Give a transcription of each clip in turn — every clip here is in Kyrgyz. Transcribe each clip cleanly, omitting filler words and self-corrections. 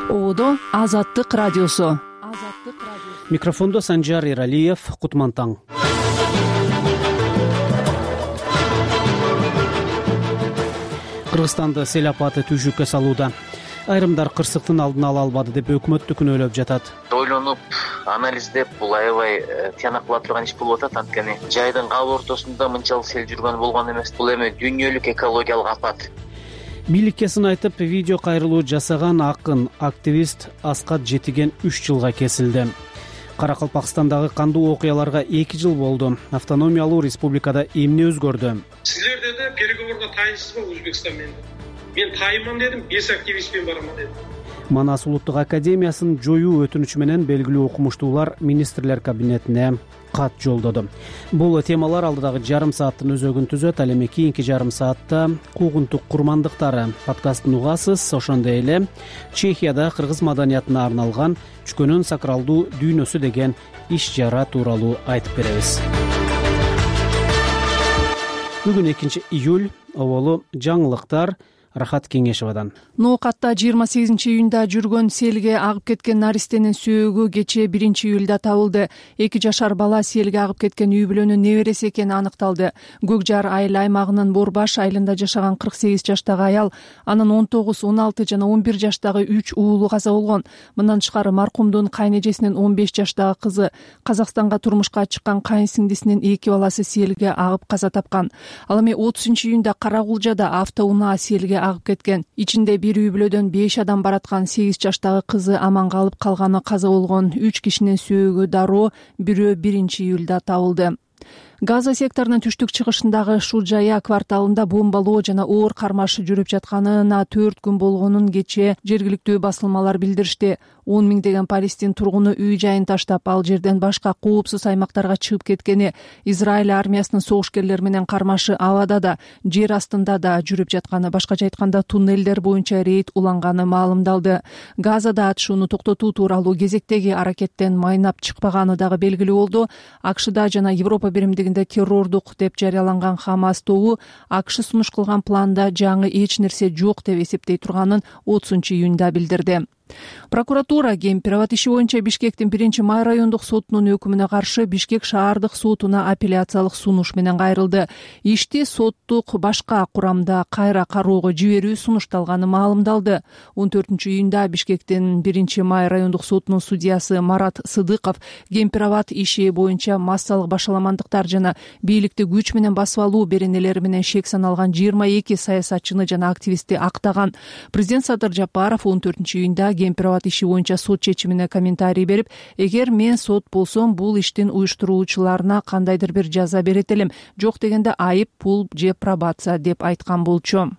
Оодо Азаттык радиосу. Микрофондо Санжар Эралиев, Кутман таң. Кыргызстанды сел апаты түйшүккө салууда. Айрымдар кырсыктын алдын ала албады деп өкмөттү күнөөлөп жатат. Ойлонуп, анализдеп, бул аябай тияна кыла турган иш болуп атат. Анткени жайдын кабыл ортосунда мынчалык сел жүргөн болгон эмес. Бул эми дүйнөлүк экологиялык апат. Бийликке сын айтып, видео кайрылуу жасаган акын, активист Аскат Жетиген 3 жылга кесилди. Каракалпакстандагы кандуу окуяларга 2 жыл болду. Автономиялуу республикада эмне өзгөрдү? Силерде да переговорго тайынсызбы Өзбекстан менен? Мен тайынман дедим, 5 активистпен бараман дедим. Манас улуттук академиясын жоюу өтүнүчү менен белгилүү окумуштуулар министрлер кабинетине кат жолдоду. Бул темалар алдыдагы жарым сааттын өзөгүн түзөт. Ал эми кийинки жарым саатта куугунтук курмандыктары подкастын угасыз. Ошондой эле Чехияда кыргыз маданиятына арналган Чүкөнүн сакралдуу дүйнөсү деген иш чара тууралуу айтып беребиз. Бүгүн 2-июль, оболу жаңылыктар Рахат Кеңешевадан. Ноокатта 28-июнда жүргөн селге агып кеткен наристенин сөөгү кечээ 1-июлда табылды. 2 жашар бала селге агып кеткен үй бүлөнүн небереси экени аныкталды. Көкжар айыл аймагынын Борбаш айылында жашаган 48 жаштагы аял, анын 19, 16 жана 11 жаштагы 3 уулу каза болгон. Мындан тышкары маркумдун кайнэжесинин 15 жаштагы кызы, Казакстанга турмушка чыккан кайынсиңдисинин 2 баласы селге агып каза тапкан. Ал эми 30-июнда Карагулжада автоунаа селге агып кеткен. Ичинде бир үй бүлөдөн 5 адам бараткан 8 жаштагы кызы аман калып, калганы каза болгон. 3 кишинин сөөгү дароо бирөө 1-июлда табылды. Газа секторунун түштүк чыгышындагы Шуджая кварталында бомбалоо жана оор кармаш жүрүп жатканына 4 күн болгонун кечээ жергиликтүү басылмалар билдиришти. 10 миңдеген Палестин тургуну үй жайын таштап, ал жерден башка коопсуз аймактарга чыгып кеткени, Израиль армиясынын согушкерлери менен кармашы абада да, жер астында да жүрүп жатканы, башкача айтканда туннелдер боюнча рейд уланганы маалымдалды. Газада атышууну токтотуу тууралуу кезектеги аракеттен майнап чыкпаганы дагы белгилүү болду. АКШда жана Европа биримдигинде террордук деп жарыяланган Хамас тобу АКШ сунуш кылган планда жаңы эч нерсе жок деп эсептей турганын 30-июнда билдирди. Прокуратура Кемпироват иши боюнча Бишкектин 1-май райондук сотунун өкүмүнө каршы Бишкек шаардык сотуна апелляциялык сунуш менен кайрылды. Ишти соттук башка курамда кайра кароого жиберүү сунушталганы маалымдалды. 14-июнда Бишкектин 1-май райондук сотунун судьясы Марат Сыдыков Кемпироват иши боюнча массалык башаламандыктар жана бийликти күч менен басып алуу беренелери менен шек саналган 22 саясатчыны жана активистти актаган. Президент Садыр Жапаров 14-июнда Кемпироват иши боюнча сот чечимине комментарий берип, эгер мен сот болсом, бул иштин уюштуруучуларына кандайдыр бир жаза берет элем, жок дегенде айып пул же пробация деп айткан болчу.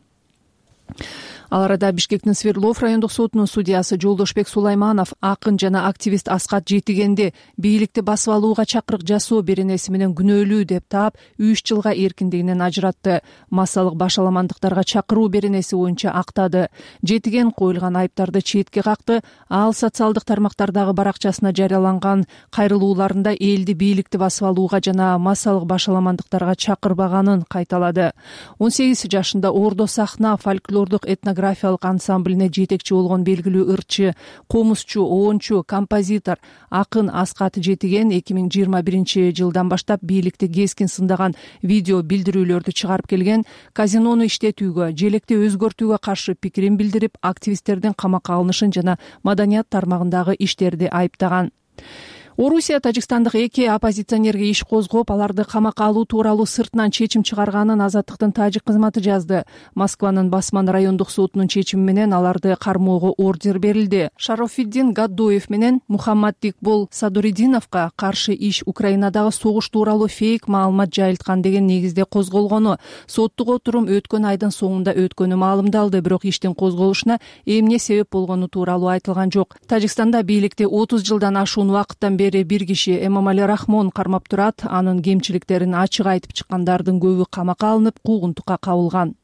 Ал арада Бишкектин Свердлов райондук сотунун судьясы Жолдошбек Сулайманов акын жана активист Аскат Жетигенди бийликти басып алууга чакырык жасоо беренеси менен күнөөлүү деп таап 3 жылга эркиндигинен ажыратты. Массалык башаламандыктарга чакыруу беренеси боюнча актады. Жетиген коюлган айыптарды четке какты. Ал социалдык тармактардагы баракчасына жарыяланган кайрылууларында элди бийликти басып алууга жана массалык башаламандыктарга чакырбаганын кайталады. 18 жашында Ордо сахна фольклордук этнографиялык ансамблине жетекчи болгон белгилүү ырчы, комузчу, оончу, композитор, акын Аскат Жетиген 2021 жылдан баштап бийликти кескин сындаган видео билдирүүлөрдү чыгарып келген, казинону иштетүүгө, желекти өзгөртүүгө каршы пикирин билдирип, активисттердин камакка алынышын жана маданият тармагындагы иштерди айыптаган. Орусия Тажикстандык 2 оппозиционерге иш козгоп, аларды камакка алуу тууралуу сыртынан чечим чыгарганын Азаттыктын тажик кызматы жазды. Москванын Басман райондук сотунун чечими менен аларды кармоого ордер берилди. Шарофиддин Гаддоев менен Мухаммад Дикбол Садуридиновго каршы иш Украинадагы согуш тууралуу фейк маалымат жайылткан деген негизде козголгону, соттук отурум өткөн айдын соңунда өткөнү маалымдалды, бирок иштин козголушуна эмне себеп болгону тууралуу айтылган жок. Тажикстанда бийликти 30 жылдан ашуун убакыттан бери бир киши Эмомали Рахмон кармап турат. Анын кемчиликтерин ачык айтып чыккандардын көбү камакка алынып, куугунтукка кабылган.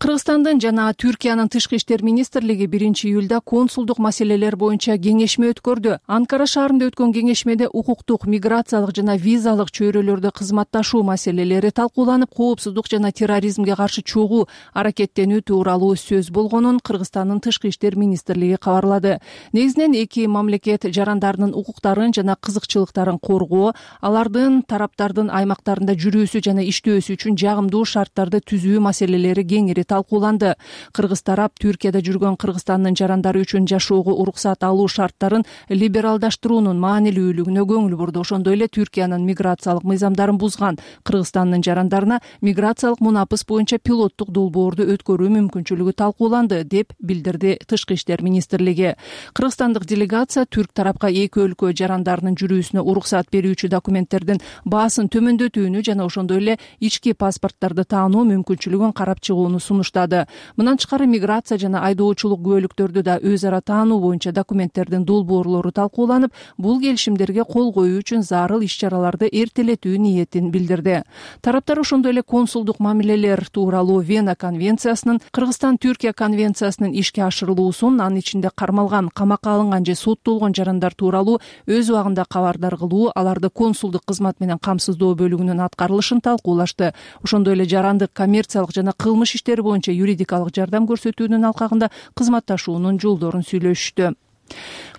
Кыргызстандын жана Түркиянын тышкы иштер министрлиги 1-июлда консулдук маселелер боюнча кеңешме өткөрдү. Анкара шаарында өткөн кеңешмеде укуктук, миграциялык жана визалык чөйрөлөрдө кызматташуу маселелери талкууланып, коопсуздук жана терроризмге каршы чогуу аракеттенүү тууралуу сөз болгонун Кыргызстандын тышкы иштер министрлиги кабарлады. Негизинен эки мамлекет жарандарынын укуктарын жана кызыкчылыктарын коргоо, алардын тараптардын аймактарында жүрүүсү жана иштөөсү үчүн жагымдуу шарттарды түзүү маселелери кеңири талкууланды. Кыргыз тарап Түркияда жүргөн Кыргызстандын жарандары үчүн жашоого уруксат алуу шарттарын либералдаштыруунун маанилүүлүгүнө көңүл бурду. Ошондой эле Түркиянын миграциялык мыйзамдарын бузган Кыргызстандын жарандарына миграциялык мунапыс боюнча пилоттук долбоорду өткөрүү мүмкүнчүлүгү талкууланды, деп билдирди Тышкы иштер министрлиги. Кыргызстандык делегация түрк тарапка эки өлкө жарандарынын жүрүүсүнө уруксат берүүчү документтердин баасын төмөндөтүүнү жана ошондой эле ички паспорттарды таануу мүмкүнчүлүгүн карап чыгууну сунуштады. Мындан тышкары миграция жана айдоочулук күбөлүктөрдү да өз ара таануу боюнча документтердин долбоорлору талкууланып, бул келишимдерге кол коюу үчүн зарыл иш-чараларды эртелетүү ниетин билдирди. Тараптар ошондой эле консулдук мамилелер тууралуу Вена конвенциясынын, Кыргызстан-Түркия конвенциясынын ишке ашырылуусун, анын ичинде кармалган, камакка алынган же соттолгон жарандар тууралуу өз убагында кабардар кылуу, аларды консулдук кызмат менен камсыздоо бөлүгүнүн аткарылышын талкуулашты. Ошондой эле жарандык коммерциялык жана кылмыш иштери боюнча юридикалык жардам көрсөтүүнүн алкагында кызматташуунун жолдорун сүйлөшүштү.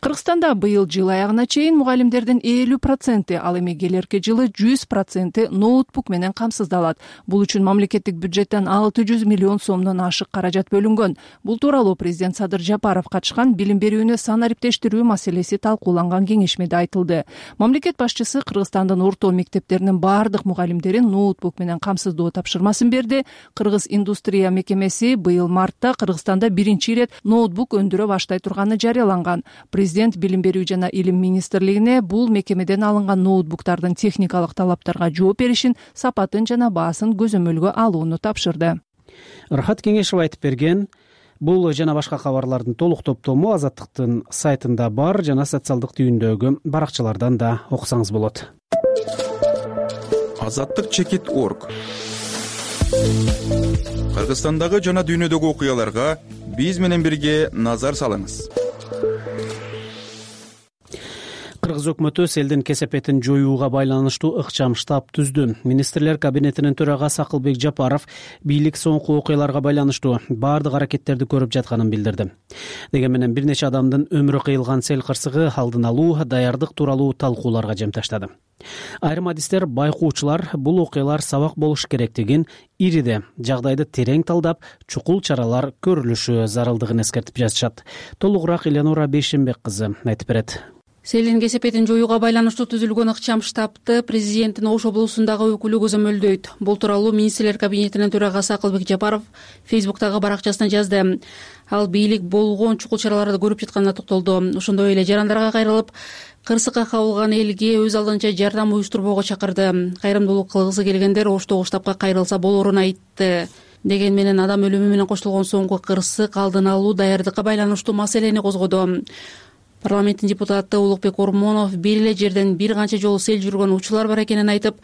Кыргызстанда быйыл жыл аягына чейин мугалимдердин 50%, ал эми келерки жылы 100% ноутбук менен камсыздалат. Бул үчүн мамлекеттик бюджеттен 600 миллион сомдон ашык каражат бөлүнгөн. Бул тууралуу президент Садыр Жапаров катышкан билим берүүнү санариптештирүү маселеси талкууланган кеңешмеде айтылды. Мамлекет башчысы Кыргызстандын орто мектептеринин баардык мугалимдерин ноутбук менен камсыздоо тапшырмасын берди. Кыргыз индустрия мекемеси быйыл мартта Кыргызстанда 1-ирет ноутбук өндүрө баштай турганын жарыялаган. Президент билим берүү жана илим министрлигине бул мекемеден алынган ноутбуктардын техникалык талаптарга жооп беришин, сапатын жана баасын көзөмөлгө алууну тапшырды. Рахат Кеңешов айтып берген. Бул жана башка кабарлардын толук топтому Азаттыктын сайтында бар, жана социалдык түйүндөгү баракчалардан да окусаңыз болот. Азаттык.org. Кыргызстандагы жана дүйнөдөгү окуяларга биз менен бирге назар салыңыз. Кыргыз өкмөтү селдин кесепетин жоюуга байланыштуу ыкчам штаб түздү. Министрлер кабинетинин төрагасы Акылбек Жапаров бийлик соңку окуяларга байланыштуу баардык аракеттерди көрүп жатканын билдирди. Деген менен бир нече адамдын өмүрү кыйылган сел кырсыгы алдын алуу, даярдык тууралуу талкууларга жем таштады. Айрым адистер, байкоочулар бул окуялар сабак болуш керектигин, ириде жагдайды терең талдап, чукул чаралар көрүлүшү зарылдыгын эскертип жазышат. Толугураак Элеонора Бейшенбек кызы айтып берет. Селдин кесепетин жоюуга байланыштуу түзүлгөн ыкчам штабты президенттин Ош облусундагы өкүлү көзөмөлдөйт. Бул тууралуу министрлер кабинетинин төрагасы Акылбек Жапаров Фейсбуктагы баракчасына жазды. Ал бийлик болгон чукул чараларды көрүп жатканына токтолду. Ошондой эле жарандарга кайрылып, кырсыкка кабылган элге өз алдынча жардам уюштурбоого чакырды. Кайрымдуулук кылгысы келгендер Оштогу штабка кайрылса болорун айтты. Деген менен адам өлүмү менен коштолгон соңку кырсык алдын алуу, даярдыкка байланыштуу маселени козгоду. Парламенттин депутаты Улукбек Ормонов бир эле жерден бир канча жолу сел жүргөн учурлар бар экенин айтып,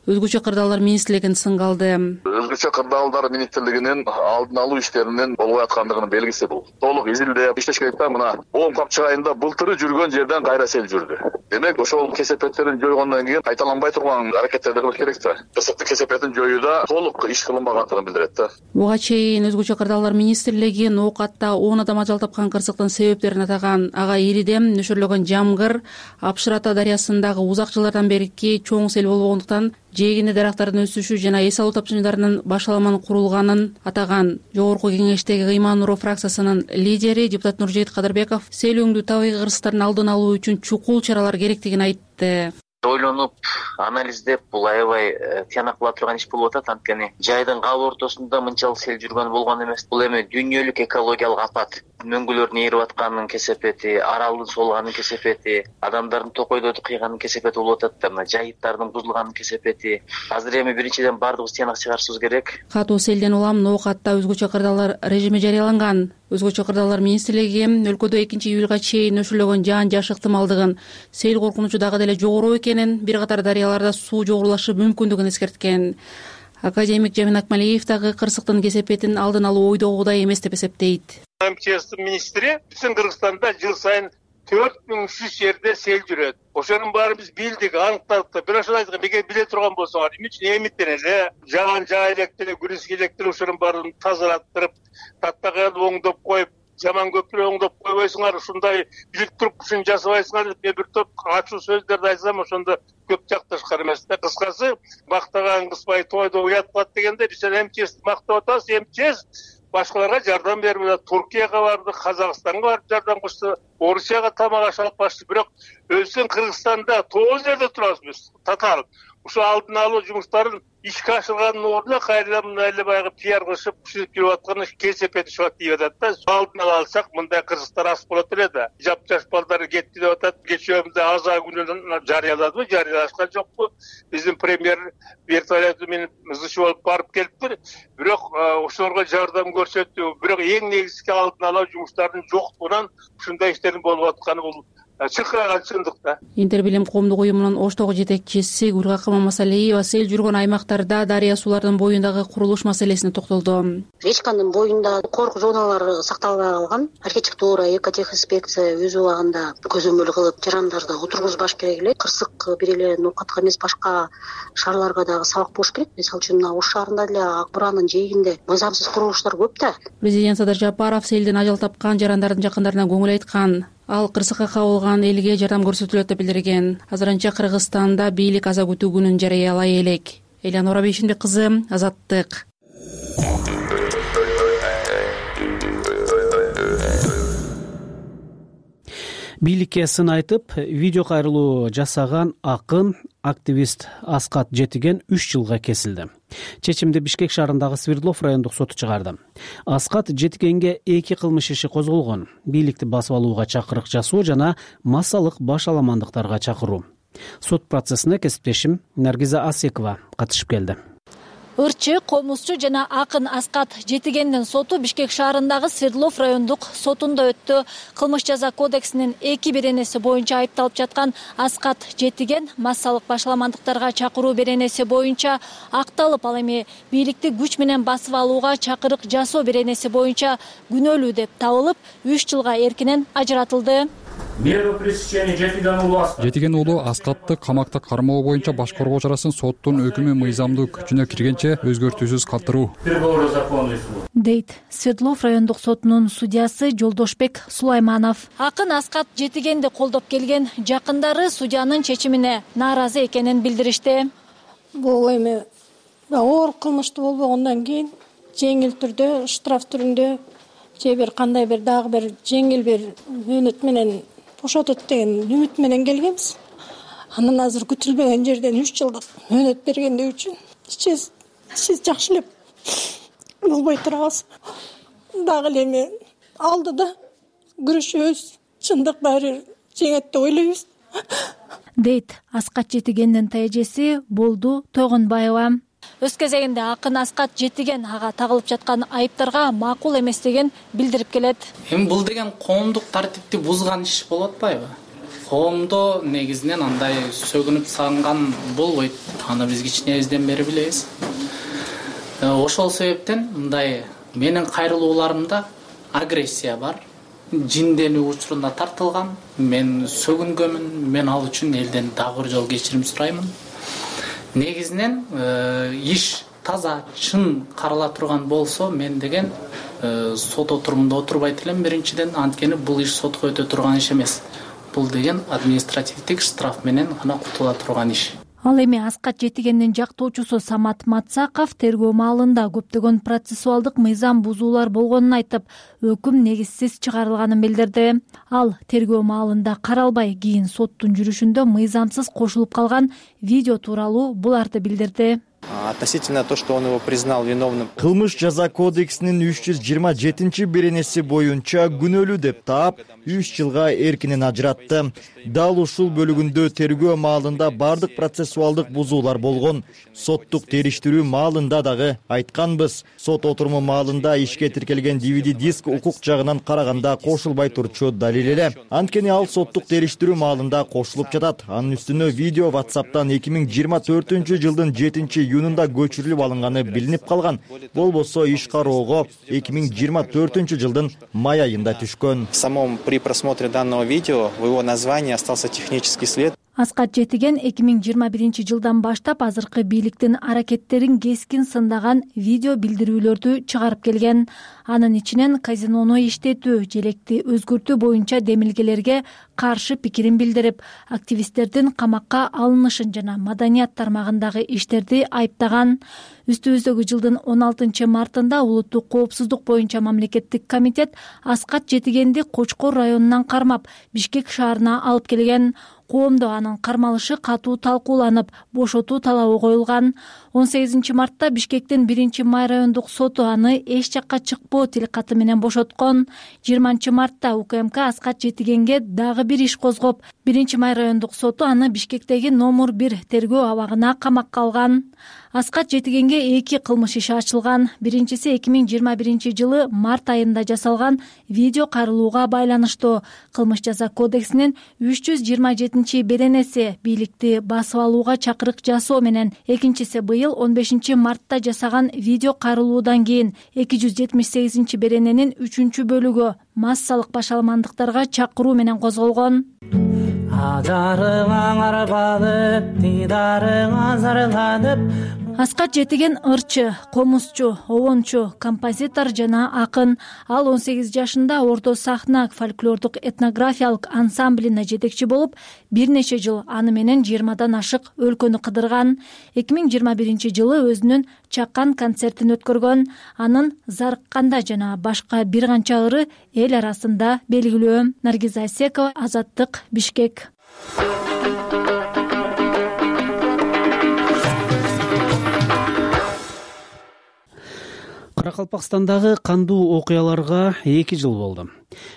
өзгөчө кырдаалдар министрлигин сынга алды. Өзгөчө кырдаалдар министрлигинин алдын алуу иштеринин болбой аткандыгынын белгиси бул. Толук изилдеп иштеш керек да. Мына 10 капчык айында былтыры жүргөн жерден кайра сел жүрдү. Демек, ошол кесепеттерин жойгондон кийин кайталанбай турган аракеттерди кылыш керек да. Кырсыктын кесепетин жоюуда толук иш кылынбагандыгын билдирет да. Буга чейин өзгөчө кырдаалдар министрлиги Ноокатта 10 адам ажал тапкан кырсыктын себептерин атаган. Ага иридем, нөшөрлөгөн жамгыр, Апшырата дарыясындагы узак жылдардан берки чоң сел болгондуктан жээгинде дарактардын өсүшү жана эс алуу тапшырмаларынын башаламан курулганын атаган. Жогорку кеңештеги Ыйман Нуров фракциясынын лидери депутат Нуржейит Кадырбеков селөңдүү табигый кырсыктардын алдын алуу үчүн чукул чаралар керектигин айтты. Ойлонуп, анализдеп, бул аябай тыянак кыла турган иш болуп атат. Анткени жайдын кабыл ортосунда мынчалык сел жүргөн болгон эмес. Бул эми дүйнөлүк экологиялык апат. Мөңгүлөрдүн ээрип атканынын кесепети, аралдын солганынын кесепети, адамдардын токойдорду кыйганынын кесепети болуп атат да. Мына жайыттардын бузулганынын кесепети. Азыр эми биринчиден баардыгыбыз тыянак чыгарышыбыз керек. Катуу селден улам Ноокатта өзгөчө кырдаалдар режими жарыяланган. Өзгөчө кырдаалдар министрлиги өлкөдө 2-июлга чейин нөшөрлөгөн жаан-жаш ыктымалдыгын, сел коркунучу дагы деле жогору экенин, бир катар дарыяларда суу жогорулашы мүмкүндүгүн эскерткен. Академик Жамин Акмалиев дагы кырсыктын кесепетин алдын алуу ойдогудай эмес деп эсептейт. МЧСтин министри биздин Кыргызстанда жыл сайын 4300 жерде сел жүрөт. Ошонун баарын биз билдик, аныктадык. Бирок ошол айткан бекер биле турган болсоңор, эмне үчүн эмиттен эле жаган жай электере, күрүс электер ошонун баарын тазалаттырып, таттаган оңдоп коюп, жаман көпүрө оңдоп койбойсуңар, ушундай билип туруп ушуну жасабайсыңар деп мен бир топ ачуу сөздөрдү айтсам, ошондо көп жакташкан эмес да. Кыскасы, мактаган кызбай тойдо уят кылат дегенде биз МЧСти мактап атабыз. МЧС башкаларга жардам берип атат. Туркияга барды, Казакстанга барып жардам кылышты, Орусияга тамак аш алып башты. Бирок өзүбүздүн Кыргызстанда 9 жерде турабыз биз. Татаал. Ушу алдын алуу жумуштарын ишке ашырганын ордуна кайрадан мындай эле баягы пиар кылышып, күчүнүп жүрүп атканы кесепет чыгат дейп атат да. Алдын ала алсак, мындай кыргыздар аз болот эле да. Жап-жаш балдар кетти деп атат. Кечөөбүздө аза күнүн жарыяладыбы, жарыялашкан жокпу? Биздин премьер вертолеты менен ызычы болуп барып келиптир. Бирок ошолорго жардам көрсөттү. Бирок эң негизги алдын алуу жумуштарынын жоктугунан ушундай иштердин болуп атканы бул чыккан чындык да. Интербилим коомдук уюмунун Оштогу жетекчиси Гүлгакы Мамасалиева сел жүргөн аймактарда дарыя суулардын боюндагы курулуш маселесине токтолду. Речканын боюнда корку зоналары сакталбай калган. Архитектура, экотехинспекция өз убагында көзөмөл кылып, жарандарды отургузбаш керек эле. Кырсык бир эле ноокатка эмес, башка шаарларга дагы сабак болуш керек. Мисалы үчүн Ош шаарында деле Ак Буранын жээгинде мыйзамсыз курулуштар көп да. Президент Садыр Жапаров селден ажал тапкан жарандардын жакындарына көңүл айткан. Ал кырсыкка кабылган элге жардам көрсөтүлөт деп билдирген. Азырынча Кыргызстанда бийлик аза күтүү күнүн жарыялай элек. Элянора Бейшинбек кызы, Азаттык. Бийликке сын айтып, видео кайрылуу жасаган акын, активист Аскат Жетиген 3 жылга кесилди. Чечимди Бишкек шаарындагы Свердлов райондук соту чыгарды. Аскат Жетигенге 2 кылмыш иши козголгон: бийликти басып алууга чакырык жасоо жана массалык башаламандыктарга чакыруу. Сот процессине кесиптешим Наргиза Асекова катышып келди. Ырчы, комузчу жана акын Аскат Жетигендин соту Бишкек шаарындагы Свердлов райондук сотунда өттү. Кылмыш жаза кодексинин 2 беренеси боюнча айыпталып жаткан Аскат Жетиген массалык башаламандыктарга чакыруу беренеси боюнча акталып, ал эми бийликти күч менен басып алууга чакырык жасоо беренеси боюнча күнөөлүү деп табылып, 3 жылга эркинен ажыратылды. Жетиген уулу Аскатты камакта кармоо боюнча баш коргоо чарасын соттун өкүмү мыйзамдуу күчүнө киргенче өзгөртүүсүз калтыруу дейт Свердлов райондук сотунун судьясы Жолдошбек Сулайманов. Акын Аскат Жетигенди колдоп келген жакындары судьянын чечимине нааразы экенин билдиришти. Бул эми оор кылмыштуу болбогондон кийин жеңил түрдө, штраф түрүндө же бир кандай бир дагы бир жеңил бир мөөнөт менен бошотот деген үмүт менен келгенбиз. Анан азыр күтүлбөгөн жерден 3 жылдык мөөнөт бергендиги үчүн сиз жакшы эле болбой турабыз. Дагы эле эми алдыда күрөшөбүз, чындык баары жеңет деп ойлойбуз. Дейт Аскат Жетигендин тажеси Болду Тойгонбаева. Өз кезегинде акын Аскат Жетиген ага тагылып жаткан айыптарга макул эместигин билдирип келет. Эми бул деген коомдук тартипти бузган иш болуп атпайбы? Коомдо негизинен андай сөгүнүп сагынган болбойт. Аны биз кичинебизден бери билебиз. Ошол себептен мындай менин кайрылууларымда агрессия бар. Жинденүү учурунда тартылган. Мен сөгүнгөмүн. Мен ал үчүн элден дагы бир жолу кечирим сураймын. Негизинен иш таза, чын карала турган болсо, мен деген сот отурумунда отурбайт элем биринчиден, анткени бул иш сотко өтө турган иш эмес. Бул деген административдик штраф менен гана кутула турган иш. Ал эми Аскат Жетигендин жактоочусу Самат Матсаков тергөө маалында көптөгөн процессуалдык мыйзам бузуулар болгонун айтып, өкүм негизсиз чыгарылганын билдирди. Ал тергөө маалында каралбай, кийин соттун жүрүшүндө мыйзамсыз кошулуп калган видео тууралуу буларды билдирди. Относительно то, что он его признал виновным. Кылмыш жаза кодексинин 327-беренеси боюнча күнөөлүү деп таап, 3 жылга эркинен ажыратты. Дал ушул бөлүгүндө тергөө маалында бардык процессуалдык бузуулар болгон. Соттук териштирүү маалында дагы айтканбыз. Сот отуруму маалында ишке тиркелген DVD диск укук жагынан караганда кошулбай турчу далил эле. Анткени ал соттук териштирүү маалында кошулуп жатат. Анын үстүнө видео WhatsApp'тан 2024-жылдын 7-июнун муюнунда көчүрүлүп алынганы билинип калган. Болбосо иш кароого 2024-жылдын май айында түшкөн. При просмотре данного видео в его названии остался технический след. Аскат Жетиген 2021-жылдан баштап азыркы бийликтин аракеттерин кескин сындаган видео билдирүүлөрдү чыгарып келген. Анын ичинен казинону иштетүү, желекти өзгөртүү боюнча демилгелерге каршы пикирин билдирип, активисттердин камакка алынышын жана маданият тармагындагы иштерди айыптаган. Үстүбүздөгү жылдын 16-мартында улуттук коопсуздук боюнча мамлекеттик комитет Аскат Жетигенди Кочкор районунан кармап, Бишкек шаарына алып келген. Коомдо анын кармалышы катуу талкууланып, бошотуу талабы коюлган. 18-мартта Бишкектин 1-Май райондук соту аны эч жакка чыкпоо тилкаты менен бошоткон. 20-мартта УКМК Аскат Жетигенге дагы бир иш козгоп, 1-Май райондук соту аны Бишкектеги номер 1 тергөө абагына камакка алган. Аскат Жетигенге 2 кылмыш иши ачылган. Биринчиси 2021-жылы март айында жасалган видео кайрылууга байланыштуу. Кылмыш жаза кодексинин 327 беренеси бийликти басып алууга чакырык жасоо менен, экинчиси быйыл 15-мартта жасаган видео кайрылуудан кийин 278 берененин 3-бөлүгү массалык башаламандыктарга чакыруу менен козголгон. Аскат Жетиген ырчы, комузчу, обончу, композитор жана акын. Ал 18 жашында Орто сахна фольклордук этнографиялык ансамблине жетекчи болуп, бир нече жыл аны менен 20дан ашык өлкөнү кыдырган. 2021-жылы өзүнүн чакан концертин өткөргөн. Анын Зарыкканда жана башка бир канча ыры эл арасында белгилүү. Наргиза Асекова, Азаттык, Бишкек. Каракалпакстандагы кандуу окуяларга 2 жыл болду.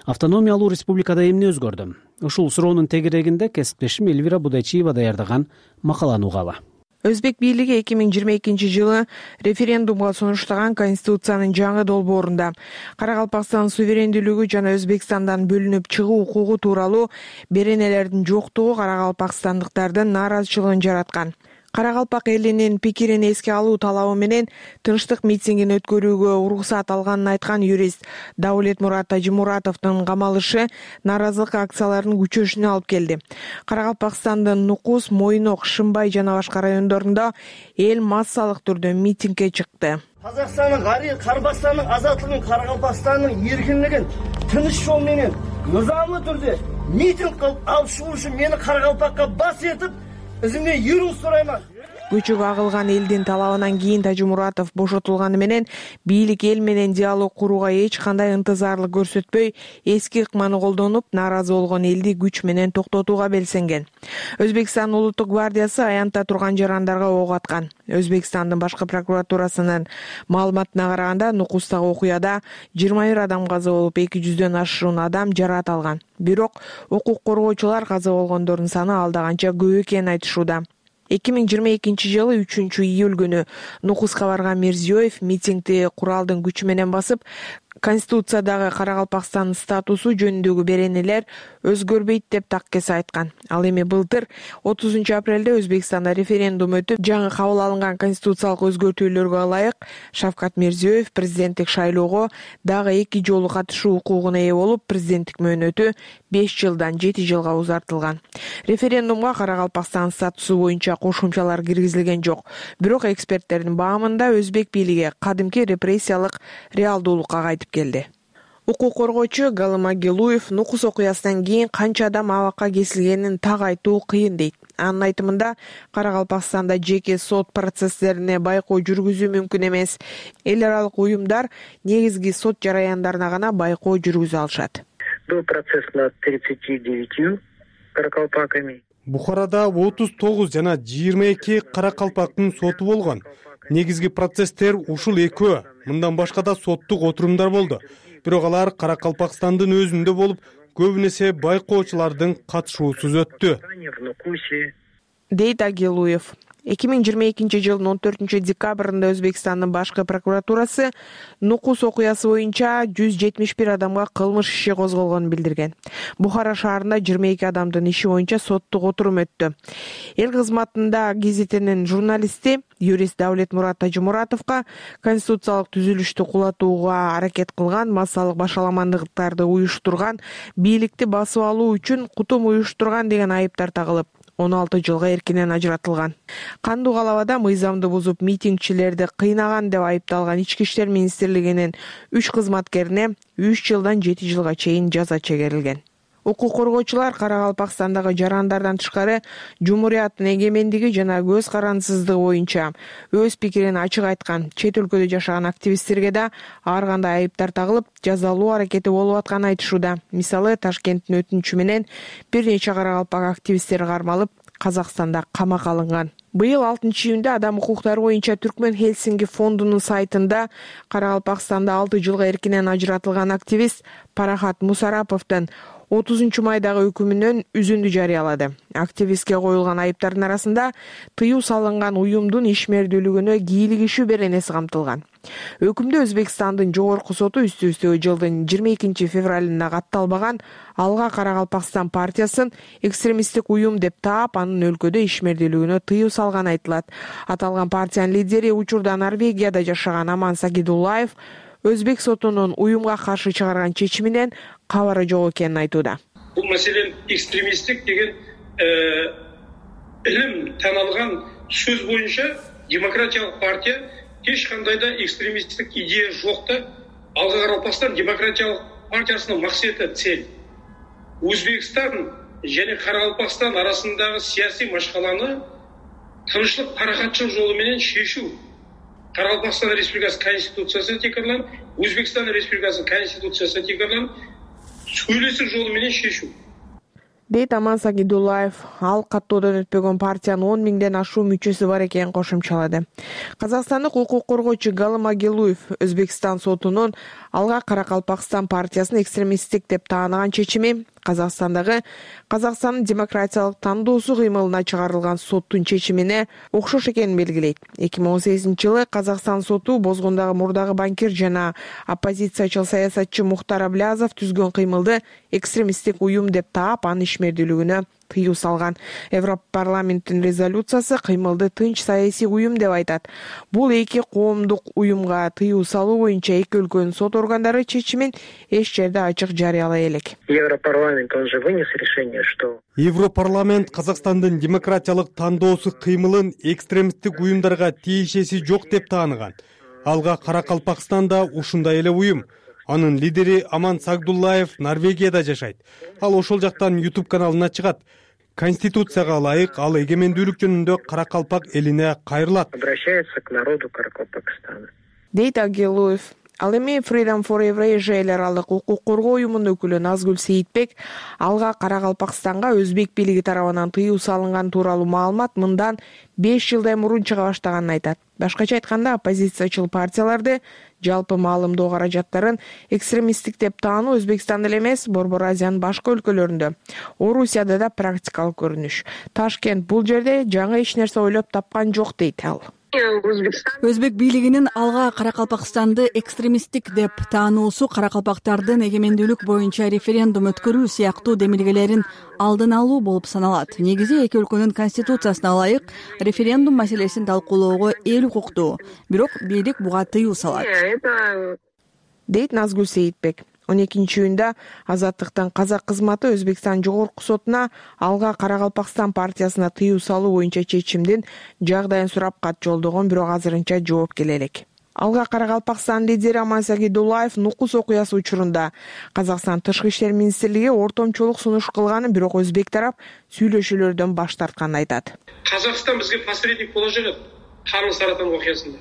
Автономиялуу республикада эмне өзгөрдү? Ушул суроонун тегерегинде кесиптешим Элвира Будайчиева даярдаган макаланы угалы. Өзбек бийлиги 2022-жылы референдумга сунуштаган Конституциянын жаңы долбоорунда Каракалпакстан суверендүүлүгү жана Өзбекстандан бөлүнүп чыгуу укугу тууралуу беренелердин жоктугу каракалпакстандыктардын нааразычылыгын жараткан. Каракалпак элинин пикирин эске алуу талабы менен тынчтык митингин өткөрүүгө уруксат алганын айткан юрист Даулетмурат Тажимуратовдун камалышы нааразылык акцияларынын күчөшүнө алып келди. Каракалпакстандын Нукус, Мойнок, Шымбай жана башка райондорунда эл массалык түрдө митингге чыкты. Казакстандын Карабастандын азаттыгын, Каракалпакстандын эркиндигин тыныч жол менен нызамдуу түрдө митинг кылып алып чыгуу үчүн мени Каракалпакка бас этип өзүмдөн юруу сурайман. Көчөгө агылган элдин талабынан кийин Тажимуратов бошотулганы менен бийлик эл менен диалог курууга эч кандай ынтызарлык көрсөтпөй, эски ыкманы колдонуп, нааразы болгон элди күч менен токтотууга белсенген. Өзбекстан улуттук гвардиясы аянтта турган жарандарга ок аткан. Өзбекстандын башкы прокуратурасынын маалыматына караганда, Нукустагы окуяда 21 адам каза болуп, 200дөн ашуун адам жараат алган. Бирок укук коргоочулар каза болгондордун саны алда канча көп экенин айтышууда. 2022-жылы 3-июль күнү Нукуска барган Мирзиёев митингди куралдын күчү менен басып, Конституциядагы Каракалпакстандын статусу жөнүндөгү беренелер өзгөрбөйт деп таккес айткан. Ал эми былтыр 30-апрелде Өзбекстанда референдум өтүп, жаңы кабыл алынган конституциялык өзгөртүүлөргө ылайык Шавкат Мирзиёев президенттик шайлоого дагы 2 жолу катышуу укугуна ээ болуп, президенттик мөөнөтү 5 жылдан 7 жылга узартылган. Референдумга Каракалпакстан статусу боюнча кошумчалар киргизилген жок. Бирок эксперттердин баамында Өзбек бийлиги кадимки репрессиялык реалдуулукка кайтып келди. Укук коргоочу Галым Агилуев Нукус окуясынан кийин канча адам абакка кесилгенин так айтуу кыйын дейт. Анын айтымында, Каракалпакстанда жеке сот процесстерине байкоо жүргүзүү мүмкүн эмес. Эл аралык уюмдар негизги сот жараяндарына гана байкоо жүргүзө алышат. Был процесс над 39 каракалпаками. Бухарада 39 жана 22 каракалпактын соту болгон. Негизги процесстер ушул экөө. Мындан башка да соттук отурумдар болду. Бирок алар Каракалпакстандын өзүндө болуп, көбүнесе байкоочулардын катышуусуз өттү. дейт Агилуев. 2022 жылдын 14 декабрында Өзбекстандын башкы прокуратурасы Нукус окуясы боюнча 171 адамга кылмыш иши козголгонун билдирген. Бухара шаарында 22 адамдын иши боюнча соттук отурум өттү. Эл кызматында гезитинин журналисти юрист Давлетмурат Тажимуратовго конституциялык түзүлүштү кулатууга аракет кылган, массалык башаламандыктарды уюштурган, бийликти басып алуу үчүн кутум уюштурган деген айыптар тагылып, 16 жылга эркинен ажыратылган. Кандуу калабада мыйзамды бузуп митингчилерди кыйнаган деп айыпталган Ички иштер министрлигинин 3 кызматкерине 3 жылдан 7 жылга чейин жаза чегерилген. Укук коргоочулар Каракалпакстандагы жарандардан тышкары Жумурияттын эгемендиги жана көз карандысыздыгы боюнча өз пикирин ачык айткан чет өлкөдө жашаган активисттерге да ар кандай айыптар тагылып, жазалуу аракети болуп атканын айтышууда. Мисалы, Ташкенттин өтүнүчү менен бир нече каракалпак активисттер кармалып, Казакстанда камакка алынган. Быйыл 6-июнда адам укуктары боюнча Түркмөн Хельсинки фондунун сайтында Каракалпакстанда 6 жылга эркинен ажыратылган активист Парахат Мусараповдун 30 майдагы өкүмүнөн үзүндү жарыялады. Активистке коюлган айыптардын арасында тыюу салынган уюмдун ишмердүүлүгүнө кийлигишүү беренеси камтылган. Өкүмдө Өзбекстандын жогорку соту үстү-үстү жылдын 22 февралында катталбаган Алга Каракалпакстан партиясын экстремисттик уюм деп таап, анын өлкөдө ишмердүүлүгүнө тыюу салганы айтылат. Аталган партиянын лидери учурда Норвегияда жашаган Аман Сагидуллаев Өзбек сотунун уюмга каршы чыгарган чечиминен кабары жок экенин айтууда. Бул маселен экстремисттик деген илим таналган сөз боюнча демократиялык партия эч кандай да экстремисттик идея жок да. Алга Каракалпакстан демократиялык партиясынын максаты цель. Өзбекстан жана Каракалпакстан арасындагы саясий машкаланы тынчтык каракатчылык жолу менен шешүү. Каракалпакстан Республикасы Конституциясына текарланып, Өзбекстан Республикасынын Конституциясына текарланып, сүйлөшүү жолу менен шешүү. Дейт Аман Сагидуллаев. Ал каттоодон өтпөгөн партиянын 10 миңден ашуу мүчөсү бар экенин кошумчалады. Казакстандык укук коргоочу Галым Агилуев Өзбекстан сотунун Алга Каракалпакстан партиясын экстремисттик деп таанаган чечими Казакстандагы Казакстандын демократиялык тандоосу кыймылына чыгарылган соттун чечимине окшош экенин белгилейт. 2018 жылы Казакстан соту Бозгундагы мурдагы банкир жана оппозициячыл саясатчы Мухтар Аблязов түзгөн кыймылды экстремисттик уюм деп таап, анын ишмердүүлүгүнө тыюу салган. Европарламенттин резолюциясы кыймылды тынч саясий уюм деп айтат. Бул эки коомдук уюмга тыюу салуу боюнча эки өлкөнүн сот органдары чечимин эч жерде ачык жарыялай элек. Европарламент, он же вынес решение, что Европарламент Казакстандын демократиялык тандоосу кыймылын экстремисттик уюмдарга тиешеси жок деп тааныган. Алга Каракалпакстанда ушундай эле уюм. Анын лидери Аман Сагдуллаев Норвегияда жашайт. Ал ошол жактан YouTube каналына чыгат. Конституцияга ылайык ал эгемендүүлүк жөнүндө Каракалпак элине кайрылат. Обращается к народу Каракалпакстана. Дейт Агилуев. Ал эми Freedom for Eurasia эл аралык укук коргоо уюмунун өкүлү Назгүл Сейитбек Алга Каракалпакстанга өзбек бийлиги тарабынан тыюу салынган тууралуу маалымат мындан 5 жылдай мурун чыга баштаганын айтат. Башкача айтканда, оппозициячыл партияларды жалпы маалымдоо каражаттарын экстремисттик деп таануу Өзбекстанда эле эмес, Борбор Азиянын башка өлкөлөрүндө, Орусияда да практикалык көрүнүш. Ташкент бул жерде жаңы эч нерсе ойлоп тапкан жок дейт ал. Өзбек бийлигинин Алга Каракалпакстанды экстремисттик деп таануусу каракалпактардын эгемендүүлүк боюнча референдум өткөрүү сыяктуу демилгелерин алдын алуу болуп саналат. Негизи эки өлкөнүн конституциясына ылайык референдум маселесин талкуулоого эл укуктуу, бирок бийлик буга тыюу салат. Дейт Назгүл Сейитбек. 12 июнда Азаттыктын казак кызматы Өзбекстан жогорку сотуна Алга Каракалпакстан партиясына тыюу салуу боюнча чечимдин жагдайын сурап кат жолдогон, бирок азырынча жооп келе элек. Алга Каракалпакстан лидери Аман Сагидуллаев Нукус окуясы учурунда Казакстан Тышкы иштер министрлиги ортомчулук сунуш кылганын, бирок өзбек тарап сүйлөшүүлөрдөн баш тартканын айтат. Казакстан бизге посредник боло жүрөт. Карын Саратан окуясында.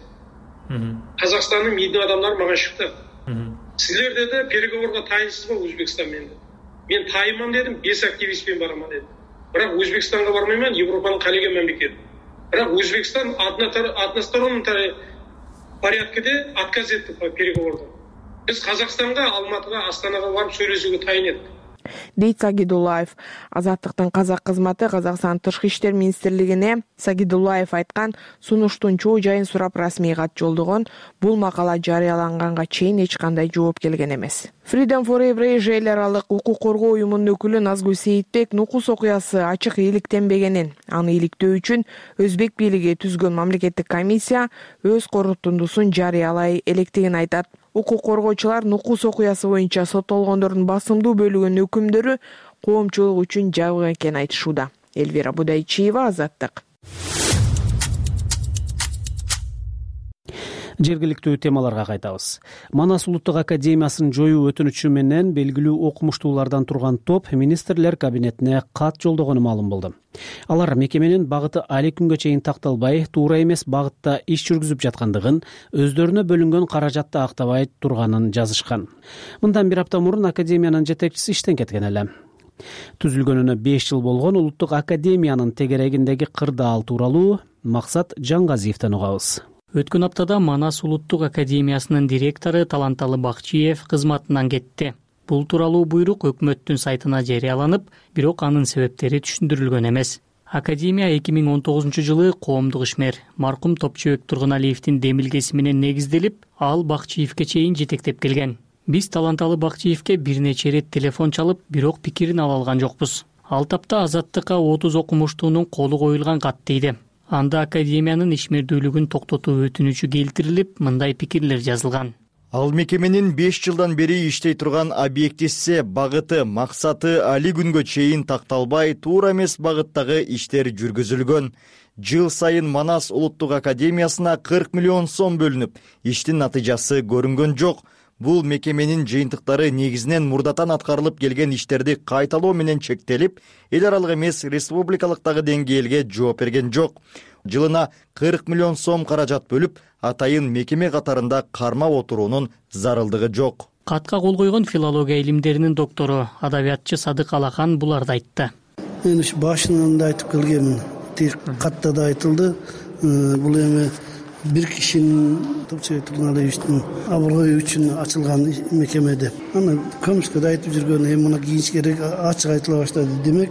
Казакстандын медиа адамдары мага чыкты. Силерде де переговорга тайынсызбы Өзбекстан менен? Мен тайыман дедим, 5 активистпен бараман дедим. Бирок Өзбекстанга бармайман, Европанын калеген мамлекети. Бирок Өзбекстан односторонний порядкеде отказ этти по переговордан. Биз Казакстанга, Алматыга, Астанага барып сүйлөшүүгө тайын эттик. дейт Сагидуллаев. Азаттыктын казак кызматы Казакстан Тышкы иштер министрлигине Сагидуллаев айткан сунуштун чоо жайын сурап расмий кат жолдогон. Бул макала жарыяланганга чейин эч кандай жооп келген эмес. Freedom for Eurasia эл аралык укук коргоо уюмунун өкүлү Назгүл Сейитбек Нукус окуясы ачык иликтенбегенин, аны иликтөө үчүн өзбек бийлиги түзгөн мамлекеттик комиссия өз корутундусун жарыялай электигин айтат. Укук коргоочулар Нукус окуясы боюнча соттолгондордун басымдуу бөлүгүнүн өкүмдөрү коомчулук үчүн жабык экенин айтышууда. Элвира Будайчиева, Азаттык. Жергиликтүү темаларга кайтабыз. Манас улуттук академиясын жоюу өтүнүчү менен белгилүү окумуштуулардан турган топ министрлер кабинетине кат жолдогону маалым болду. Алар мекеменин багыты али күнгө чейин такталбай, туура эмес багытта иш жүргүзүп жаткандыгын, өздөрүнө бөлүнгөн каражатты актабай турганын жазышкан. Мындан бир апта мурун академиянын жетекчиси иштен кеткен эле. Түзүлгөнүнө 5 жыл болгон улуттук академиянын тегерегиндеги кырдаал тууралуу Максат Жаңгазиевден угабыз. Өткөн аптада Манас улуттук академиясынын директору Таланталы Бакчиев кызматынан кетти. Бул тууралуу буйрук өкмөттүн сайтына жарыяланып, бирок анын себептери түшүндүрүлгөн эмес. Академия 2019-жылы коомдук ишмер маркум Топчубек Тургуналиевдин демилгеси менен негизделип, ал Бакчиевке чейин жетектеп келген. Биз Таланталы Бакчиевке бир нече ирет телефон чалып, бирок пикирин ала алган жокпуз. Ал тапта Азаттыкка 30 окумуштуунун колу коюлган кат дейди. Анда академиянын ишмердүүлүгүн токтотуу өтүнүчү келтирилип, мындай пикирлер жазылган. Ал мекеменин 5 жылдан бери иштей турган объектиси, багыты, максаты али күнгө чейин такталбай, туура эмес багыттагы иштер жүргүзүлгөн. Жыл сайын Манас улуттук академиясына 40 миллион сом бөлүнүп, иштин натыйжасы көрүнгөн жок. Бул мекеменин жыйынтыктары негизинен мурдатан аткарылып келген иштерди кайталоо менен чектелип, эл аралык эмес республикалыктагы деңгээлге жооп берген жок. Жылына 40 миллион сом каражат бөлүп, атайын мекеме катарында кармап отуруунун зарылдыгы жок. Катка кол койгон филология илимдеринин доктору, адабиятчы Садык Алахан буларды айтты. Мен ушу башынан да айтып келгенмин. Тек катта да айтылды. Бул эми бир кишинин Топчубек Тургуналиевдин аброю үчүн ачылган мекеме деп. Аны көмүскө да айтып жүргөн, эми муну кийинчерээк ачык айтыла баштады. Демек,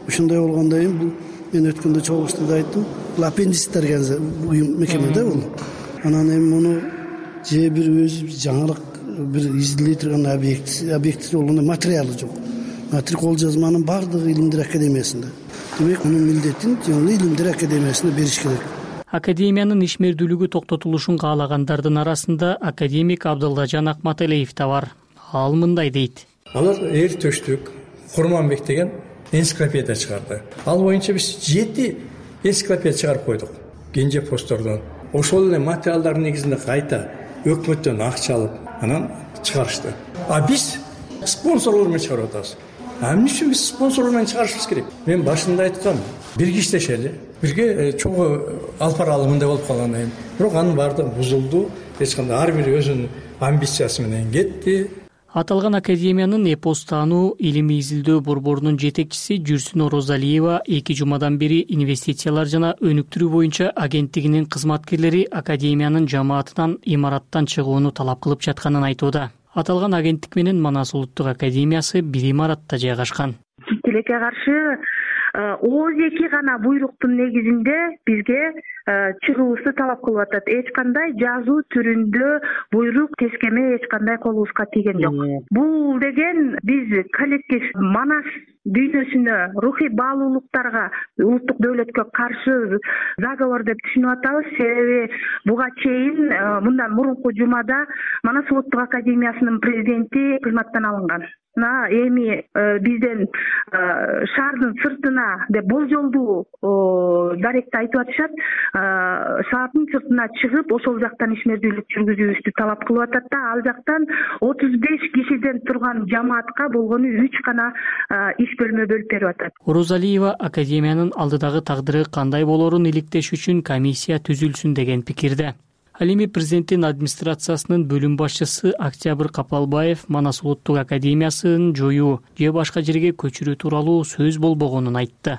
ушундай болгондон кийин бул мен өткөндө чогулушта да айттым. Бул аппендис деген уюм мекеме да бул. Анан эми муну же бир өзү жаңылык бир изилдей турган объект болгондо материалы жок. Кол жазманын бардыгы Илимдер академиясында. Демек, мунун милдетин Илимдер академиясына бериш керек. Академиянын ишмердүүлүгү токтотулушун каалагандардын арасында академик Абдыллажан Акматалиев да бар. Ал мындай дейт. Алар эр төштүк Курманбек деген энциклопедия чыгарды. Ал боюнча биз 7 энциклопедия чыгарып койдук. Кенже постордон. Ошол эле материалдардын негизинде кайта өкмөттөн акча алып, анан чыгарышты. Биз спонсорлор менен чыгарып атабыз. Эмне үчүн биз спонсорлор менен чыгарышыбыз керек? Мен башында айткам, бирге иштешели, бирге чогуу алып баралы мындай болуп калган эми. Бирок анын баардыгы бузулду. Эч кандай ар бири өзүнүн амбициясы менен кетти. Аталган академиянын эпос таануу илимий изилдөө борборунун жетекчиси Жүрсүн Орозалиева 2 жумадан бери инвестициялар жана өнүктүрүү боюнча агенттигинин кызматкерлери академиянын жамаатынан имараттан чыгууну талап кылып жатканын айтууда. Аталган агенттик менен Манас улуттук академиясы бир имаратта жайгашкан. Тилекке каршы ооз-2 гана буйруктун негизинде бизге чыгуубузду талап кылып атат. Эч кандай жазуу түрүндө буйрук, тескеме эч кандай колубузга тийген жок. Бул деген биз коллектив Манас дүйнөсүнө, рухий баалуулуктарга, улуттук дөөлөткө каршы заговор деп түшүнүп атабыз. Себеби буга чейин мындан мурунку жумада Манас улуттук академиясынын президенти кызматтан алынган. Эми бизден шаардын сыртына деп болжолдуу даректи айтып атышат. Шаардын сыртына чыгып, ошол жактан ишмердүүлүк жүргүзүүбүздү талап кылып атат да, ал жактан 35 кишиден турган жамаатка болгону 3 гана иш бөлмө бөлүп берип атат. Орозалиева академиянын алдыдагы тагдыры кандай болорун иликтеш үчүн комиссия түзүлсүн деген пикирде. Ал эми президенттин администрациясынын бөлүм башчысы Октябрь Капалбаев Манас улуттук академиясын жоюу же башка жерге көчүрүү тууралуу сөз болбогонун айтты.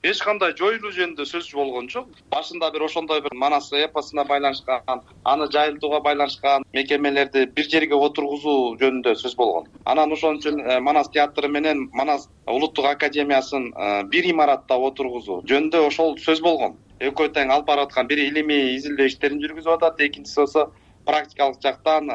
эч кандай жоюлуу жөнүндө сөз болгон жок. Башында бир ошондой бир Манас эпосуна байланышкан, аны жайылтууга байланышкан мекемелерди бир жерге отургузуу жөнүндө сөз болгон. Анан ошон үчүн Манас театры менен Манас улуттук академиясын бир имаратта отургузуу жөнүндө ошол сөз болгон. Экөө тең алып барып аткан бири илимий изилдөө иштерин жүргүзүп атат, экинчиси болсо практикалык жактан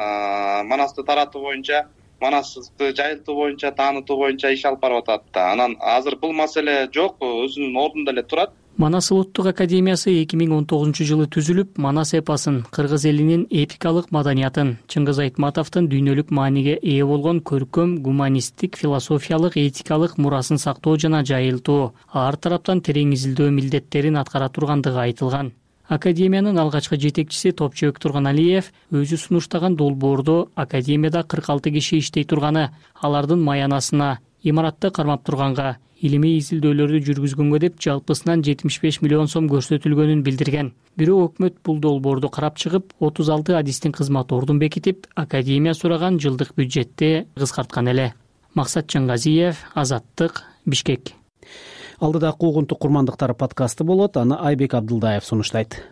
Манасты таратуу боюнча, Манасты жайылтуу боюнча, таанытуу боюнча иш алып барып атат да. Анан азыр бул маселе жок, өзүнүн ордунда эле турат. Манас улуттук академиясы 2019-жылы түзүлүп, Манас эпосун, кыргыз элинин эпикалык маданиятын, Чыңгыз Айтматовдун дүйнөлүк мааниге ээ болгон көркөм, гуманисттик, философиялык, этикалык мурасын сактоо жана жайылтуу, ар тараптан терең изилдөө милдеттерин аткара тургандыгы айтылган. Академиянын алгачкы жетекчиси Топчубек Турганалиев өзү сунуштаган долбоордо академияда 46 киши иштей турганы, алардын маянасына, имаратты кармап турганга, илимий изилдөөлөрдү жүргүзгөнгө деп жалпысынан 75 миллион сом көрсөтүлгөнүн билдирген. Бирок өкмөт бул долбоорду карап чыгып, 36 адистин кызмат ордун бекитип, академия сураган жылдык бюджетти кыскарткан эле. Максат Чыңгазиев, Азаттык, Бишкек. Алдыда куугунтук курмандыктар подкасты болот, аны Айбек Абдылдаев сунуштайт.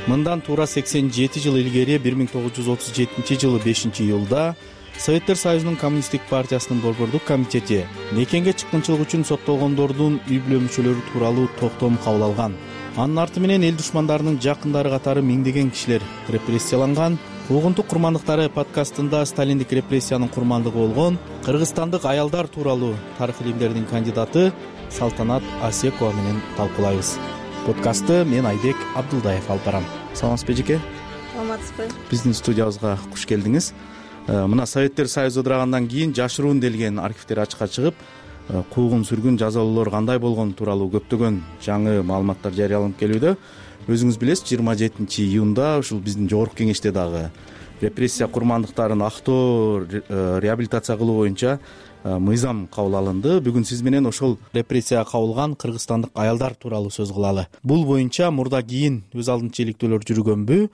Мындан туура 87 жыл илгери 1937 жылы 5-июлда Советтер Союзунун Коммунисттик партиясынын Борбордук комитети мекенге чыккынчылык үчүн соттолгондордун үй-бүлө мүчөлөрү тууралуу токтом кабыл алган. Анын арты менен эл душмандарынын жакындары катары миңдеген кишилер репрессияланган. Куугунтук курмандыктары подкастында сталиндик репрессиянын курмандыгы болгон кыргызстандык аялдар тууралуу тарых илимдеринин кандидаты Салтанат Асекова менен талкуулайбыз. Подкастты мен Айбек Абдылдаев алып барам. Саламатсызбы эжеке? Саламатсызбы. Биздин студиябызга куш келдиңиз. Мына Советтер Союзу ыдырагандан кийин жашыруун делген архивтер ачыкка чыгып, куугун сүргүн жазалоолор кандай болгону тууралуу көптөгөн жаңы маалыматтар жарыяланып келүүдө. Өзүңүз билесиз, 27-июнда ушул биздин жогорку кеңеште дагы репрессия курмандыктарын актоо, реабилитация кылуу боюнча мыйзам кабыл алынды. Бүгүн сиз менен ошол репрессияга кабылган кыргызстандык аялдар тууралуу сөз кылалы. Бул боюнча мурда кийин өз алдынча иликтөөлөр жүргөнбү,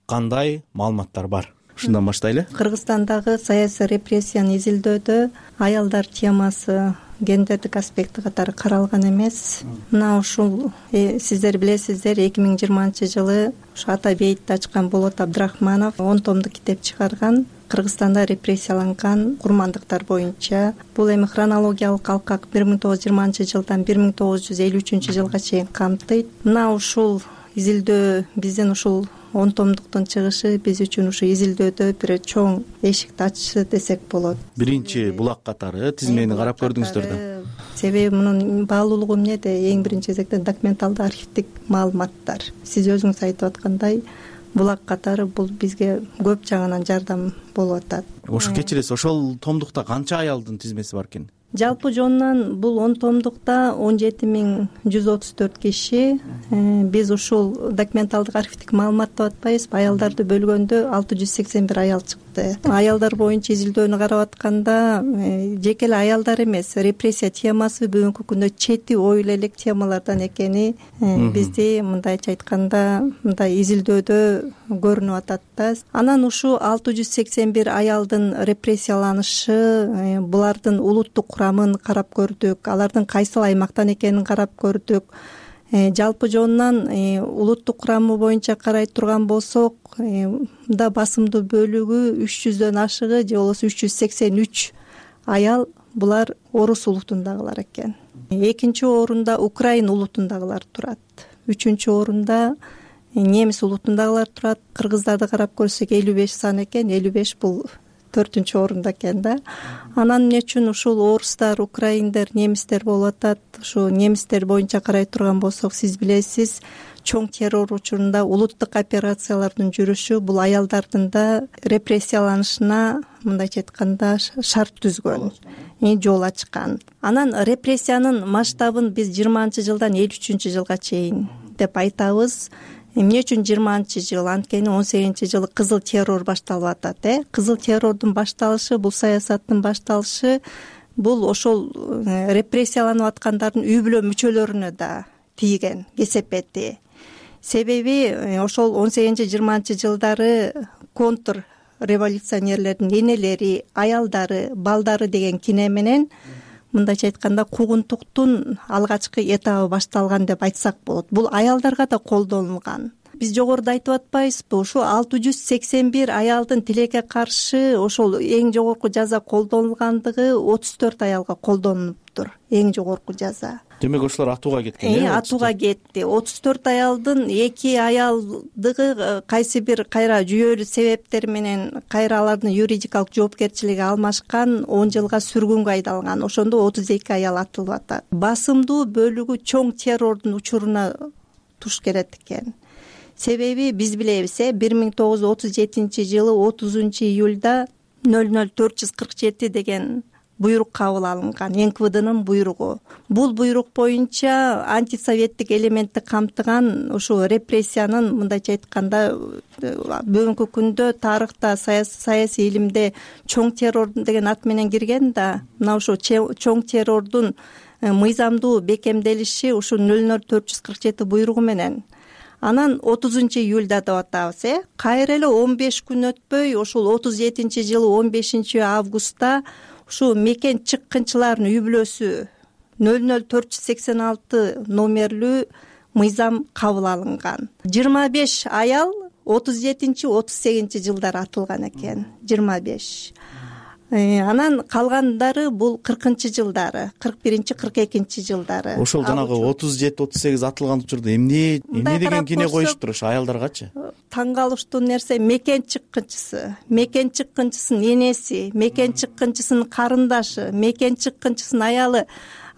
кандай маалыматтар бар? Ушундан баштайлы. Кыргызстандагы саясий репрессияны изилдөөдө аялдар темасы гендердик аспекти катары каралган эмес. Мына ушул сиздер билесиздер, 2020-жылы ушу Атабейтти ачкан Болот Абдрахманов 10 томдук китеп чыгарган. Кыргызстанда репрессияланган курмандыктар боюнча. Бул эми хронологиялык алкак 1920-жылдан 1953-жылга чейин камтыйт. Мына ушул изилдөө биздин ушул 10 томдуктун чыгышы биз үчүн ушу изилдөөдө бир чоң эшикти ачышы десек болот. Биринчи булак катары тизмени карап көрдүңүздөр да. Себеби мунун баалуулугу эмнеде? Эң биринчи кезекте документалдык архивдик маалыматтар. Сиз өзүңүз айтып аткандай, булак катары бул бизге көп жагынан жардам болуп атат. Ошо кечиресиз, ошол томдукта канча аялдын тизмеси бар экен? Жалпы жонунан бул 10 томдукта 17134 киши. Биз ушул документалдык архивдик маалымат деп атпайбызбы? Аялдарды бөлгөндө 681 аял чыкты. Аялдар боюнча изилдөөнү карап атканда жеке эле аялдар эмес, репрессия темасы бүгүнкү күндө чети ойло элек темалардан экени бизди мындайча айтканда мындай изилдөөдө көрүнүп атат да. Анан ушу 681 аялдын репрессияланышы, булардын улуттук курамын карап көрдүк, алардын кайсыл аймактан экенин карап көрдүк. Жалпы жонунан улуттук курамы боюнча карай турган болсок, да басымдуу бөлүгү 300дөн ашыгы же болбосо 383 аял булар орус улутундагылар экен. Экинчи орунда украин улутундагылар турат. Үчүнчү орунда немис улутундагылар турат. Кыргыздарды карап көрсөк 55 сан экен, 55 бул 4-чү орунда экен да. Анан эмне үчүн ушул орустар, украиндер, немистер болуп атат? Ушу немистер боюнча карай турган болсок, сиз билесиз, чоң террор учурунда улуттук операциялардын жүрүшү бул аялдардын да репрессияланышына, мындайча айтканда, шарт түзгөн, жол ачкан. Анан репрессиянын масштабын биз 20-жылдан 53-жылга чейин деп айтабыз. Эмне үчүн 20-жыл? Анткени 18-жылы кызыл террор башталып атат. Кызыл террордун башталышы, бул саясаттын башталышы, бул ошол репрессияланып аткандардын үй-бүлө мүчөлөрүнө да тийген кесепети. Себеби ошол 18-20 жылдары контр революционерлердин энелери, аялдары, балдары деген кине менен мындайча айтканда куугунтуктун алгачкы этабы башталган деп айтсак болот. Бул аялдарга да колдонулган. Биз жогоруда айтып атпайбызбы, ушул 681 аялдын тилекке каршы ошол эң жогорку жаза колдонулгандыгы 34 аялга колдонулуптур. Эң жогорку жаза. Демек ошолор атууга кеткен. Атууга кетти. 34 аялдын 2 аялдыгы кайсы бир кайра жүйөлүү себептер менен кайра алардын юридикалык жоопкерчилиги алмашкан, 10 жылга сүргүнгө айдалган. Ошондо 32 аял атылып атат. Басымдуу бөлүгү чоң террордун учуруна туш келет экен. Себеби биз билебиз, 1937 жылы 30 июлда 00447 деген буйрук кабыл алынган, НКВДнын буйругу. Бул буйрук боюнча антисоветтик элементти камтыган ушул репрессиянын мындайча айтканда бүгүнкү күндө тарыхта саясий илимде чоң террор деген ат менен кирген да, мына ушул чоң террордун мыйзамдуу бекемделиши ушул 00447 буйругу менен. Анан 30 июлда деп атабыз, кайра эле 15 күн өтпөй ушул 37 жылы 15 августта ушул мекен чыккынчылардын үй бүлөсү 00486 номерлүү мыйзам кабыл алынган. 25 аял 37-38 жылдар атылган экен. 25. Анан калгандары бул 40 жылдары, 41-42 жылдары. Ошол жанагы 37-38 атылган учурда эмне деген кине коюштур ошо аялдаргачы? Таң калыштуу нерсе мекен чыккынчысынын энеси, мекен чыккынчысынын карындашы, мекен чыккынчысынын аялы.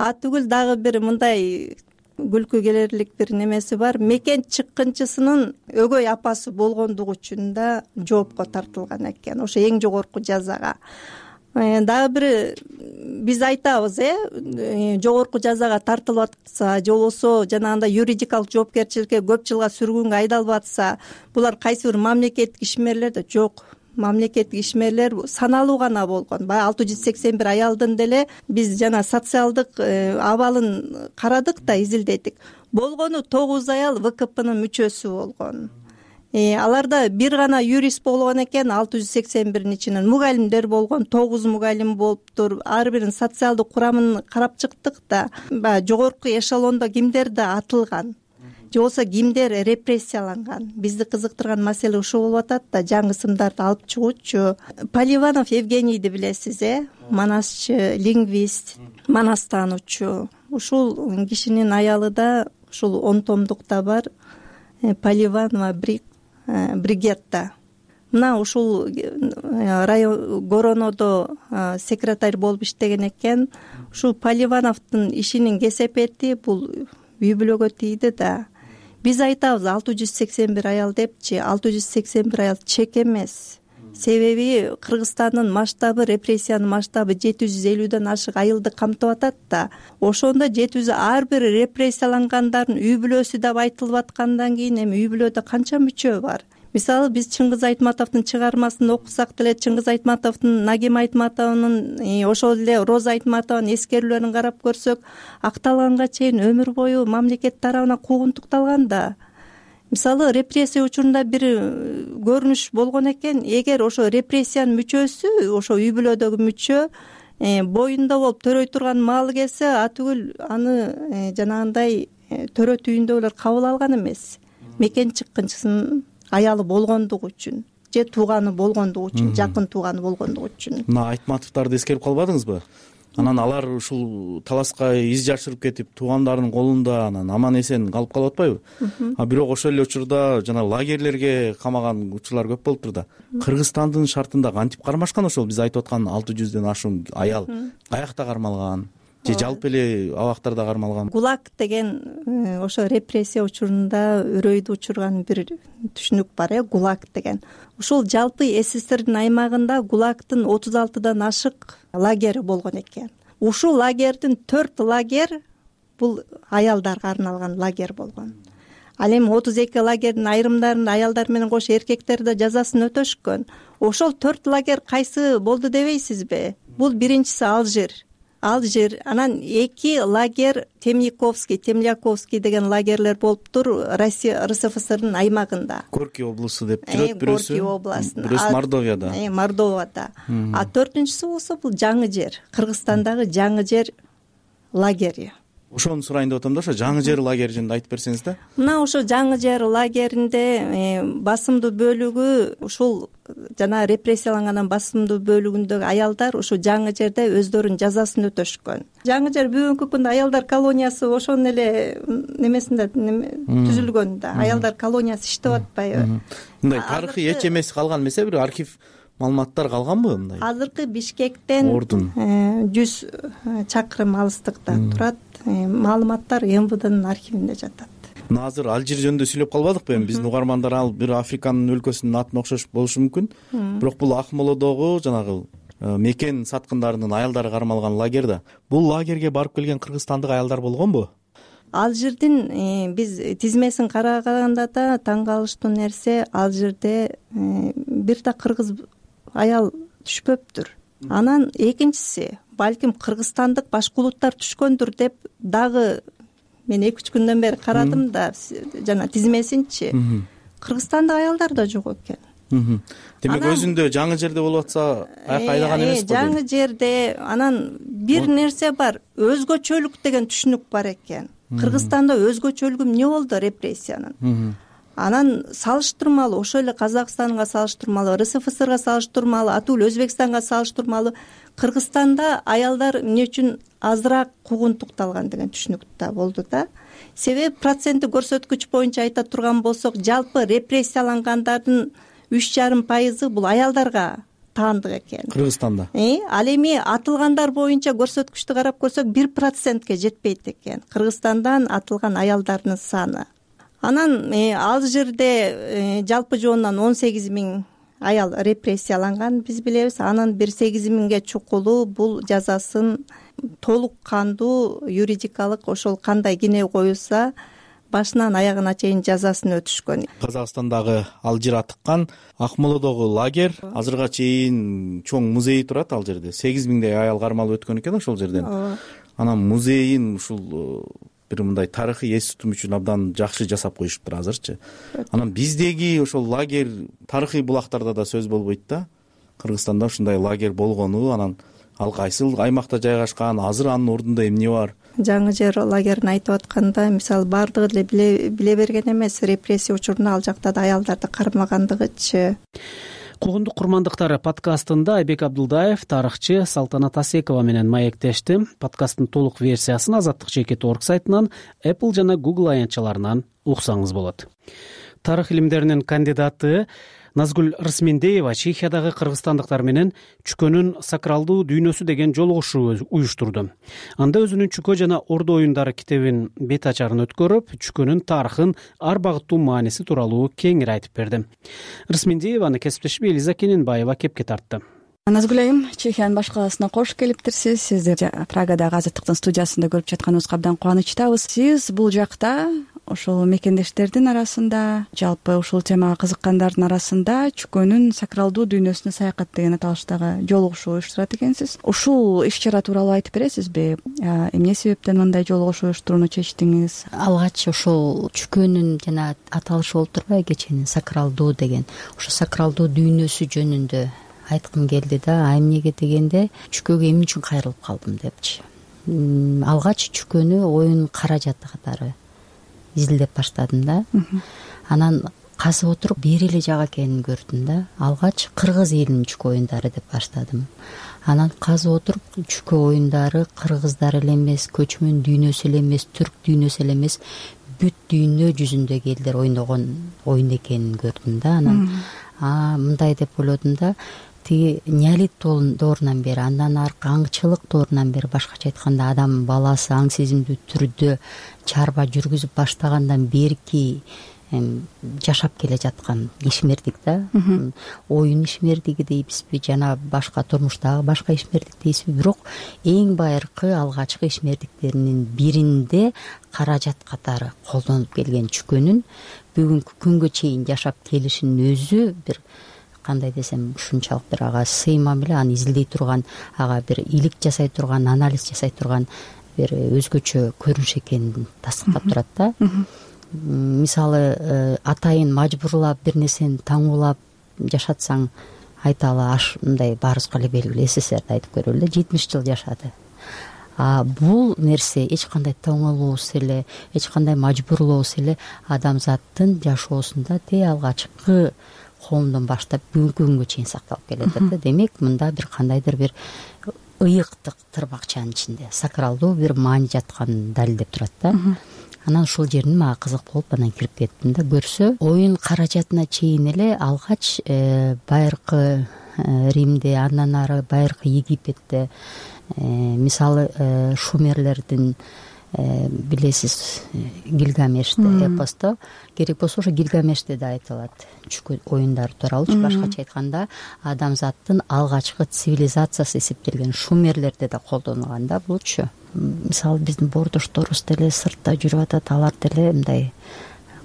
Түгүл дагы бир мындай күлкү келерлик бир немеси бар. Мекен чыккынчысынын өгөй апасы болгондугу үчүн да жоопко тартылган экен. Ошо эң жогорку жазага. Дагы бир биз айтабыз, жогорку жазага тартылып атса, же болбосо жанагындай юридикалык жоопкерчиликке көп жылга сүргүнгө айдалып атса, булар кайсы бир мамлекеттик ишмерлер да жок. Мамлекеттик ишмерлер саналуу гана болгон. Баягы 681 аялдын деле биз жана социалдык абалын карадык да, изилдедик. Болгону 9 аял ВКПнын мүчөсү болгон. Аларда бир гана юрист болгон экен, 681 ичинен мугалимдер болгон, 9 мугалим болуптур. Ар биринин социалдык курамын карап чыктык да, баягы жогорку эшелондо кимдер да атылган, же болбосо кимдер репрессияланган. Бизди кызыктырган маселе ушул болуп атат да, жаңы сымдарды алып чыгуучу. Поливанов Евгенийди билесиз, манасчы, лингвист, манас таануучу. Ушул кишинин аялы да ушул 10 томдукта бар, Поливанова Бригетта. Мына ушул район Горонодо секретарь болуп иштеген экен. Ушул Поливановдун ишинин кесепети бул үй бүлөгө тийди да. Биз айтабыз 681 аял депчи, 681 аял чек эмес. Себеби Кыргызстандын масштабы, репрессиянын масштабы 750ден ашык айылды камтып атат да. Ошондо 700 ар бир репрессиялангандардын үй бүлөсү деп айтылып аткандан кийин эми үй бүлөдө канча мүчө бар? Мисалы биз Чыңгыз Айтматовдун чыгармасын окусак деле, Чыңгыз Айтматовдун, Нагим Айтматовдун, ошол эле Роза Айтматованын эскерүүлөрүн карап көрсөк, акталганга чейин өмүр бою мамлекет тарабынан куугунтукталган да. Мисалы репрессия учурунда бир көрүнүш болгон экен, эгер ошо репрессиянын мүчөсү, ошо үй бүлөдөгү мүчө боюнда болуп төрөй турган маалы келсе, атүгүл аны жанагындай төрө түйүндө эле кабыл алган эмес. Мекен чыккынчысынын аялы болгондугу үчүн, же тууганы болгондугу үчүн, жакын тууганы болгондугу үчүн. Мына Айтматовдорду эскерип калбадыңызбы? Анан алар ушул таласка из жашырып кетип, туугандарынын колунда анан аман эсен калып калып атпайбы? Бирок ошол эле учурда жана лагерлерге камаган учурлар көп болуптур да. Кыргызстандын шартында кантип кармашкан ошол биз айтып аткан 600ден ашуун аял? Каякта кармалган? Же жалпы эле абактарда кармалган? ГУЛАГ деген ошо репрессия учурунда үрөйдү учурган бир түшүнүк бар, ГУЛАГ деген. Ушул жалпы СССРдин аймагында ГУЛАГдын 36дан ашык лагери болгон экен. Ушул лагердин 4 лагер бул аялдарга арналган лагер болгон. Ал эми 32 лагердин айрымдарында аялдар менен кошо эркектер да жазасын өтөшкөн. Ошол 4 лагер кайсы болду дебейсизби? Бул биринчиси Алжир. Алжир, анан 2 лагерь Темляковский деген лагерлер болуптур Россия РСФСРдын аймагында. Горький облусу деп жүрөт бирөөсү. Горький областында. Бирөөсү Мордовияда. Мордовияда. А 4-сү болсо бул Жаңы жер, Кыргызстандагы Жаңы жер лагери. Ошону сурайын деп атам да, ошо Жаңы жер лагери жөнүндө айтып берсеңиз да. Мына ошо Жаңы жер лагеринде басымдуу бөлүгү ушул жана репрессиялангандан басымдуу бөлүгүндөгү аялдар ушу Жаңы жерде өздөрүнүн жазасын өтөшкөн. Жаңы жер бүгүнкү күндө аялдар колониясы ошонун эле немесинде түзүлгөн да. Аялдар колониясы иштеп атпайбы? Мындай тарыхый эч эмеси калган эмес, бир архив маалыматтар калганбы мындай? Азыркы Бишкектен 100 чакырым алыстыкта турат. Маалыматтар МВДнын архивинде жатат. Мына азыр Алжир жөнүндө сүйлөп калбадыкпы эми? Биздин угармандар ал бир Африканын өлкөсүнүн атына окшош болушу мүмкүн. Бирок бул Акмолодогу жанагы мекен саткындарынын аялдары кармалган лагерь да. Бул лагерге барып келген кыргызстандык аялдар болгонбу? Алжирдин биз тизмесин караганда да таң калыштуу нерсе, Алжирде бир да кыргыз аял түшпөптүр. Анан экинчиси, балким кыргызстандык башка улуттар түшкөндүр деп дагы мен 2-3 күндөн бери карадым да жана тизмесинчи. Кыргызстандык аялдар да жок экен. Демек өзүндө Жаңы жерде болуп атса айдаган эмес го? Жаңы жерде анан бир нерсе бар, өзгөчөлүк деген түшүнүк бар экен. Кыргызстанда өзгөчөлүгү эмне болду репрессиянын? Анан салыштырмалуу, ошол эле Казакстанга салыштырмалуу, РСФСРга салыштырмалуу, атул Өзбекстанга салыштырмалуу Кыргызстанда аялдар эмне үчүн азыраак куугунтукталган деген түшүнүк да болду да. Себеби проценти көрсөткүч боюнча айта турган болсок, жалпы репрессиялангандардын 3,5% бул аялдарга таандык экен. Кыргызстанда. Ал эми атылгандар боюнча көрсөткүчтү карап көрсөк 1%ке жетпейт экен Кыргызстандан атылган аялдардын саны. Анан Алжирде жалпы жоонунан 18 000 аял репрессияланган биз билебиз. Анан бир 8 000ге чукулу бул жазасын толук кандуу юридикалык ошол кандай кине коюлса башынан аягына чейин жазасын өтүшкөн. Казакстандагы Алжир атыккан Акмолодогу лагерь азырга чейин чоң музей турат ал жерде. 8 000дей аял кармалып өткөн экен ошол жерден. Анан музейин ушул бир мындай тарыхый эс тутум үчүн абдан жакшы жасап коюшуптур азырчы. Анан биздеги ошол лагерь тарыхый булактарда да сөз болбойт да. Кыргызстанда ушундай лагерь болгону, анан ал кайсыл аймакта жайгашкан, азыр анын ордунда эмне бар? Жаңы жер лагерин айтып атканда, мисалы бардыгы эле биле берген эмес, репрессия учурунда ал жакта да аялдарды кармагандыгычы. Куугундук курмандыктары подкастында Айбек Абдылдаев, тарыхчы Салтанат Асекова менен маектешти. Подкасттын толук версиясын azatlyk.org сайтынан, Apple жана Google аянтчаларынан уксаңыз болот. Тарых илимдеринин кандидаты Назгүл Рысмендеева Чехиядагы кыргызстандыктар менен чүкөнүн сакралдуу дүйнөсү деген жолугушуу уюштурду. Анда өзүнүн Чүкө жана Ордо оюндары китебин бет ачарын өткөрүп, чүкөнүн тарыхын, ар багыттуу мааниси тууралуу кеңири айтып берди. Рысмендееваны кесиптеши Элиза Кененбаева кепке тартты. Назгүл айым, Чехиянын баш каласына кош келиптирсиз. Сизди Прагадагы Азаттыктын студиясында көрүп жатканыбызга абдан кубанычтабыз. Сиз бул жакта ошол мекендештердин арасында, жалпы ушул темага кызыккандардын арасында чүкөнүн сакралдуу дүйнөсүнө саякат деген аталыштагы жолугушуу уюштурат экенсиз. Ушул иш-чара тууралуу айтып бересизби? Эмне себептен мындай жолугушуу уюштурууну чечтиңиз? Алгач ошол чүкөнүн жана аталышы болуп турбайбы, кеченин сакралдуу деген, ошо сакралдуу дүйнөсү жөнүндө айткым келди да. Эмнеге дегенде, чүкөгө эмне үчүн кайрылып калдым депчи. Алгач чүкөнү оюн каражаты катары изилдеп баштадым да. Анан казып отуруп бир эле жак экенин көрдүм да. Алгач кыргыз элинин чүкө оюндары деп баштадым. Анан казып отуруп чүкө оюндары кыргыздар эле эмес, көчмөн дүйнөсү эле эмес, түрк дүйнөсү эле эмес, бүт дүйнө жүзүндөгү элдер ойногон оюн экенин көрдүм да. Анан мындай деп ойлодум да. Тиги неолит доорунан бери, андан аркы аңчылык доорунан бери, башкача айтканда адам баласы аң сезимдүү түрдө чарба жүргүзүп баштагандан берки жашап келе жаткан ишмердик да. Оюн ишмердиги дейбизби, жана башка турмуштагы башка ишмердик дейбизби, бирок эң байыркы алгачкы ишмердиктеринин биринде каражат катары колдонуп келген чүкөнүн бүгүнкү күнгө чейин жашап келишинин өзү бир кандай десем ушунчалык бир ага сыймам эле, аны изилдей турган, ага бир илик жасай турган, анализ жасай турган бир өзгөчө көрүнүш экенин тастыктап турат да. Мисалы атайын мажбурлап бир нерсени таңуулап жашатсаң айталы мындай баарыбызга эле белгилүү, СССРди айтып көрөлү, 70 жыл жашады. Бул нерсе эч кандай тоңолуусуз эле, эч кандай мажбурлоосуз эле адамзаттын жашоосунда алгачкы коомдон баштап бүгүнкү күнгө чейин сакталып келатат да. Демек мында бир кандайдыр бир ыйыктык тырбакчанын ичинде сакралдуу бир маани жатканын далилдеп турат да. Анан ушул жерин мага кызык болуп анан кирип кеттим да. Көрсө оюн каражатына чейин эле алгач байыркы Римде, андан ары байыркы Египетте, мисалы шумерлердин билесиз Гильгамеште эпосто, керек болсо ошо Гильгамеште да айтылат чүкө оюндары тууралуучу. Башкача айтканда адамзаттын алгачкы цивилизациясы эсептелген шумерлерде да колдонулган да булчу. Мисалы биздин бордошторубуз деле сыртта жүрүп атат, алар деле мындай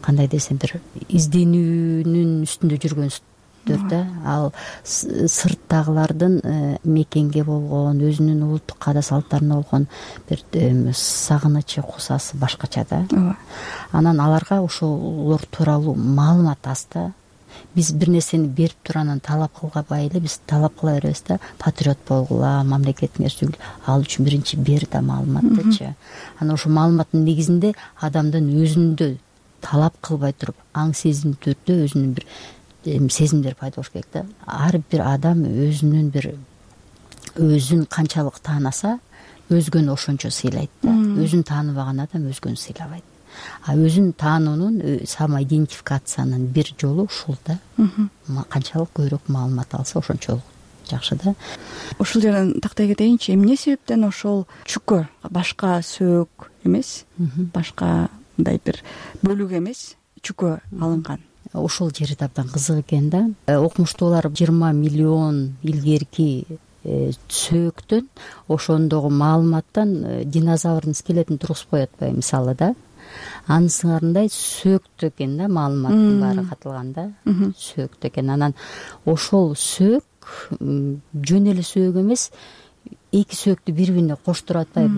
кандай десем бир изденүүнүн үстүндө жүргөнсүздөр да. Ал сырттагылардын мекенге болгон, өзүнүн улуттук каада салттарына болгон бир сагынычы, кусасы башкача да. Анан аларга ошолор тууралуу маалымат аз да. Биз бир нерсени берип туруп анан талап кылбай эле биз талап кыла беребиз да. Патриот болгула, мамлекетиңер сүгүл, ал үчүн биринчи бер да маалыматтычы. Анан ошо маалыматтын негизинде адамдын өзүндө талап кылбай туруп, аң сезим түрдө өзүнүн бир сезимдер пайда болуш керек да. Ар бир адам өзүн канчалык таанаса, өзгөнү ошончо сыйлайт да. Өзүн тааныбаган адам өзгөнү сыйлабайт. Өзүн таануунун, самоидентификациянын бир жолу ушул да. Канчалык көбүрөөк маалымат алса ошончолук жакшы да. Ушул жерден тактай кетейинчи, эмне себептен ошол чүкө башка сөөк эмес, башка мындай бир бөлүк эмес чүкө алынган? Ошол жери да абдан кызык экен да. Окумуштуулар 20 миллион илгерки сөөктөн, ошондогу маалыматтан динозаврдын скелетин тургузуп коет атпайбы мисалы да. Анын сыңарындай сөөктө экен да, маалыматтын баары катылган да. Сөөктө экен. Анан ошол сөөк жөн эле сөөк эмес, эки сөөктү бири-бирине коштуруп атпайбы,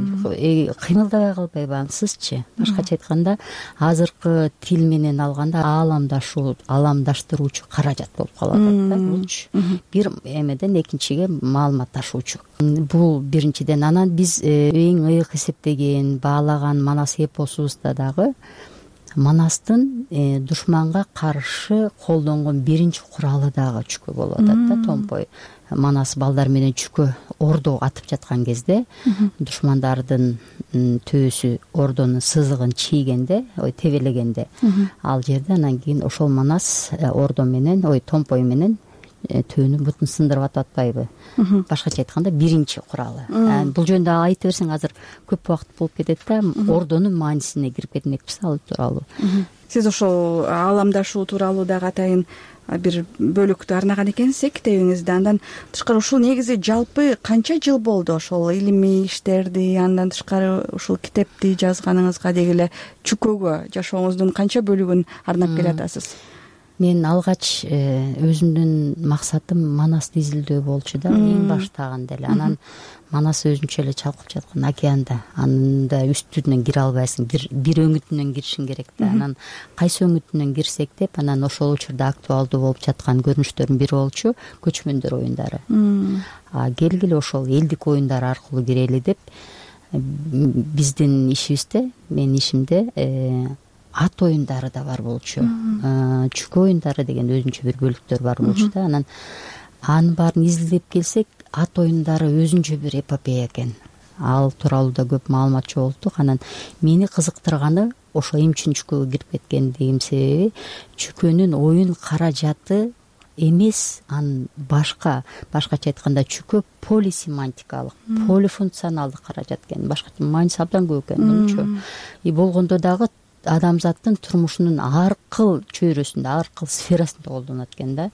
кыймылдабай калбайбы ансызчы. Башкача айтканда, азыркы тил менен алганда ааламдаштыруучу каражат болуп калып атат да булчу. Бир эмеден экинчиге маалымат ташуучу. Бул биринчиден. Анан биз эң ыйык эсептеген, баалаган Манас эпосубузда дагы Манастын душманга каршы колдонгон биринчи куралы дагы чүкө болуп атат да, томпой. Манас балдар менен чүкө ордо атып жаткан кезде душмандардын төөсү ордонун сызыгын чийгенде, тебелегенде, ал жерде анан кийин ошол Манас ордо менен, томпой менен төөнүн бутун сындырып атпайбы. Башкача айтканда биринчи куралы. Бул жөнүндө айта берсең азыр көп убакыт болуп кетет да, ордонун маанисине кирип кетмекпиз ал тууралуу. Сиз ошол ааламдашуу тууралуу дагы атайын бир бөлүктү арнаган экенсиз китебиңизде. Андан тышкары ушул негизи жалпы канча жыл болду ошол илимий иштерди, андан тышкары ушул китепти жазганыңызга, деги эле чүкөгө жашооңуздун канча бөлүгүн арнап келатасыз? Мен алгач өзүмдүн максатым Манасты изилдөө болчу да, эң баштагында эле. Анан Манас өзүнчө эле чалкып жаткан океанда, анда үстүнөн кире албайсың, бир өңүтүнөн киришиң керек да. Анан кайсы өңүтүнөн кирсек деп, анан ошол учурда актуалдуу болуп жаткан көрүнүштөрдүн бири болчу көчмөндөр оюндары. Келгиле ошол элдик оюндар аркылуу кирели деп, биздин ишибизде, менин ишимде ат оюндары да бар болчу. Чүкө оюндары деген өзүнчө бир бөлүктөр бар болчу да. Анан анын баарын изилдеп келсек, ат оюндары өзүнчө бир эпопея экен. Ал тууралуу да көп маалымат чогулттук. Анан мени кызыктырганы ошо эмне үчүн чүкөгө кирип кеткендигим себеби, чүкөнүн оюн каражаты эмес, анын башкача айтканда чүкө полисемантикалык, полифункционалдык каражат экен. Башкача мааниси абдан көп экен мынчу. Болгондо дагы адамзаттын турмушунун ар кыл чөйрөсүндө, ар кыл сферасында колдонот экен да.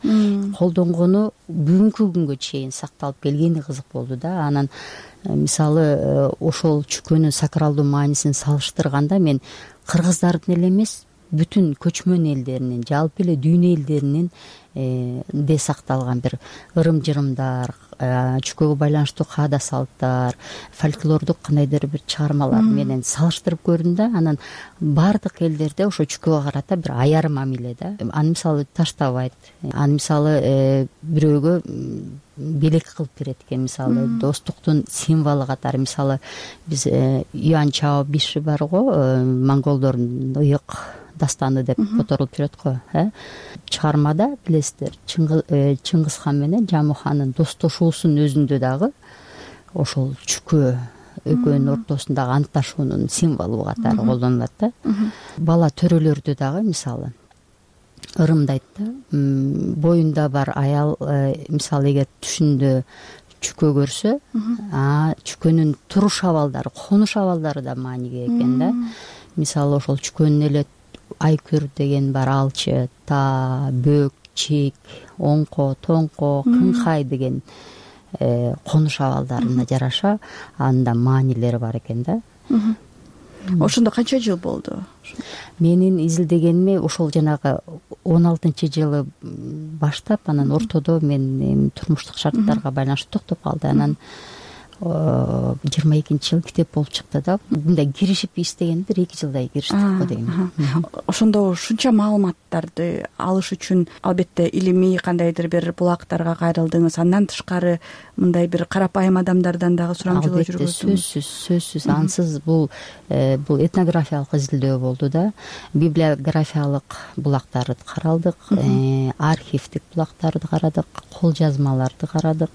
Колдонгону бүгүнкү күнгө чейин сакталып келгени кызык болду да. Анан мисалы ошол чүкөнүн сакралдуу маанисин салыштырганда мен кыргыздардын эле эмес, бүтүн көчмөн элдеринин, жалпы эле дүйнө элдеринин де сакталган бир ырым-жырымдар, чүкөгө байланыштуу каада салттар, фольклордук кандайдыр бир чыгармалар менен салыштырып көрдүм да. Анан баардык элдерде ошо чүкөгө карата бир аяр мамиле да. Аны мисалы таштабайт, аны мисалы бирөөгө белек кылып берет экен, мисалы достуктун символу катары. Мисалы биз Юан Чао Биши бар го, монголдордун ыйык дастаны деп которулуп жүрөт го. Чыгармада билесиздер, Чыңгыз хан менен Жаму хандын достошуусунун өзүндө дагы ошол чүкөө экөөнүн ортосундагы антташуунун символу катары колдонулат да. Бала төрөлөрдө дагы мисалы ырымдайт да, боюнда бар аял мисалы эгер түшүндө чүкө көрсө, чүкөнүн туруш абалдары, конуш абалдары да мааниге экен да. Мисалы ошол чүкөнүн эле айкүр деген бар, алчы, та, бөк, чек, оңко, тоңко, кыңкай деген конуш абалдарына жараша анда маанилери бар экен да. Ошондо канча жыл болду? Менин изилдегениме ошол жанагы 16-жылы баштап, анан ортодо мен турмуштук шарттарга байланыштуу токтоп калды. Анан 22-жылы китеп болуп чыкты да. Мындай киришип иштегенди 2 жылдай кириштик го деген. Ошондо ушунча маалыматтарды алыш үчүн албетте илимий кандайдыр бир булактарга кайрылдыңыз. Андан тышкары мындай бир карапайым адамдардан дагы сурамжылоо жүргөздүңүз. Сөзсүз. Ансыз бул этнографиялык изилдөө болду да. Библиографиялык булактарды каралдык, архивдик булактарды карадык, кол жазмаларды карадык.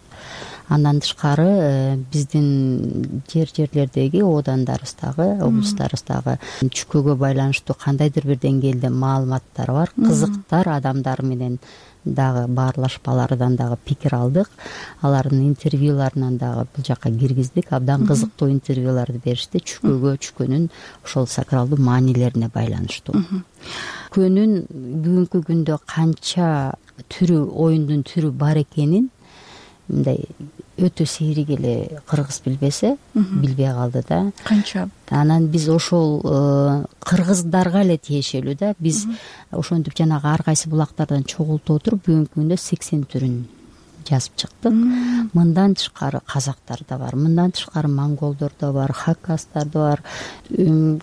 Андан тышкары биздин жерлердеги оодандарыбыздагы, облустарыбыздагы чүкөгө байланыштуу кандайдыр бир деңгээлде маалыматтар бар, кызыктар адамдар менен дагы баарлашпалардан дагы пикир алдык. Алардын интервьюларынан дагы бул жакка киргиздик. Абдан кызыктуу интервьюларды беришти чүкөгө, чүкөнүн ошол сакралдуу маанилерине байланыштуу. Чүкөнүн бүгүнкү күндө канча түрү, оюндун түрү бар экенин мындай өтө сейрик эле кыргыз билбесе, билбей калды да. Канча? Анан биз ошол кыргыздарга эле тиешелүү да. Биз ошентип жанагы ар кайсы булактардан чогултуп отуруп бүгүнкү күндө 80 түрүн жазып чыктык. Мындан тышкары казактар да бар, мындан тышкары монголдор да бар, хакастар да бар,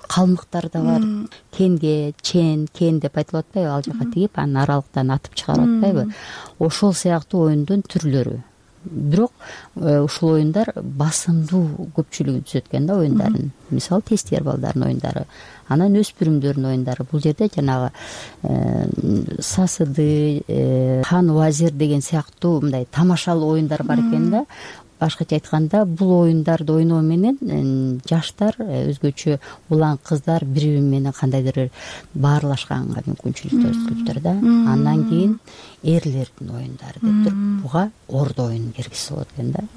калмыктар да бар. Кенге, чен, кен деп айтылып атпайбы, ал жака тигип, анан аралыктан атып чыгарып атпайбы. Ошол сыяктуу оюндун түрлөрү. Бирок ушул оюндар басымдуу көпчүлүгү түзөт экен да оюндарын. Мисалы тестер балдардын оюндары, анан өспүрүмдөрдүн оюндары. Бул жерде жанагы сасыды, хан вазир деген сыяктуу мындай тамашалуу оюндар бар экен да. Башкача айтканда, бул оюндарды ойноо менен жаштар, өзгөчө улан кыздар бири-бири менен кандайдыр баарлашканга мүмкүнчүлүк түзүптүр да. Андан кийин эрлердин оюндары деп туруп, буга ордо оюнун киргизсе болот экен да.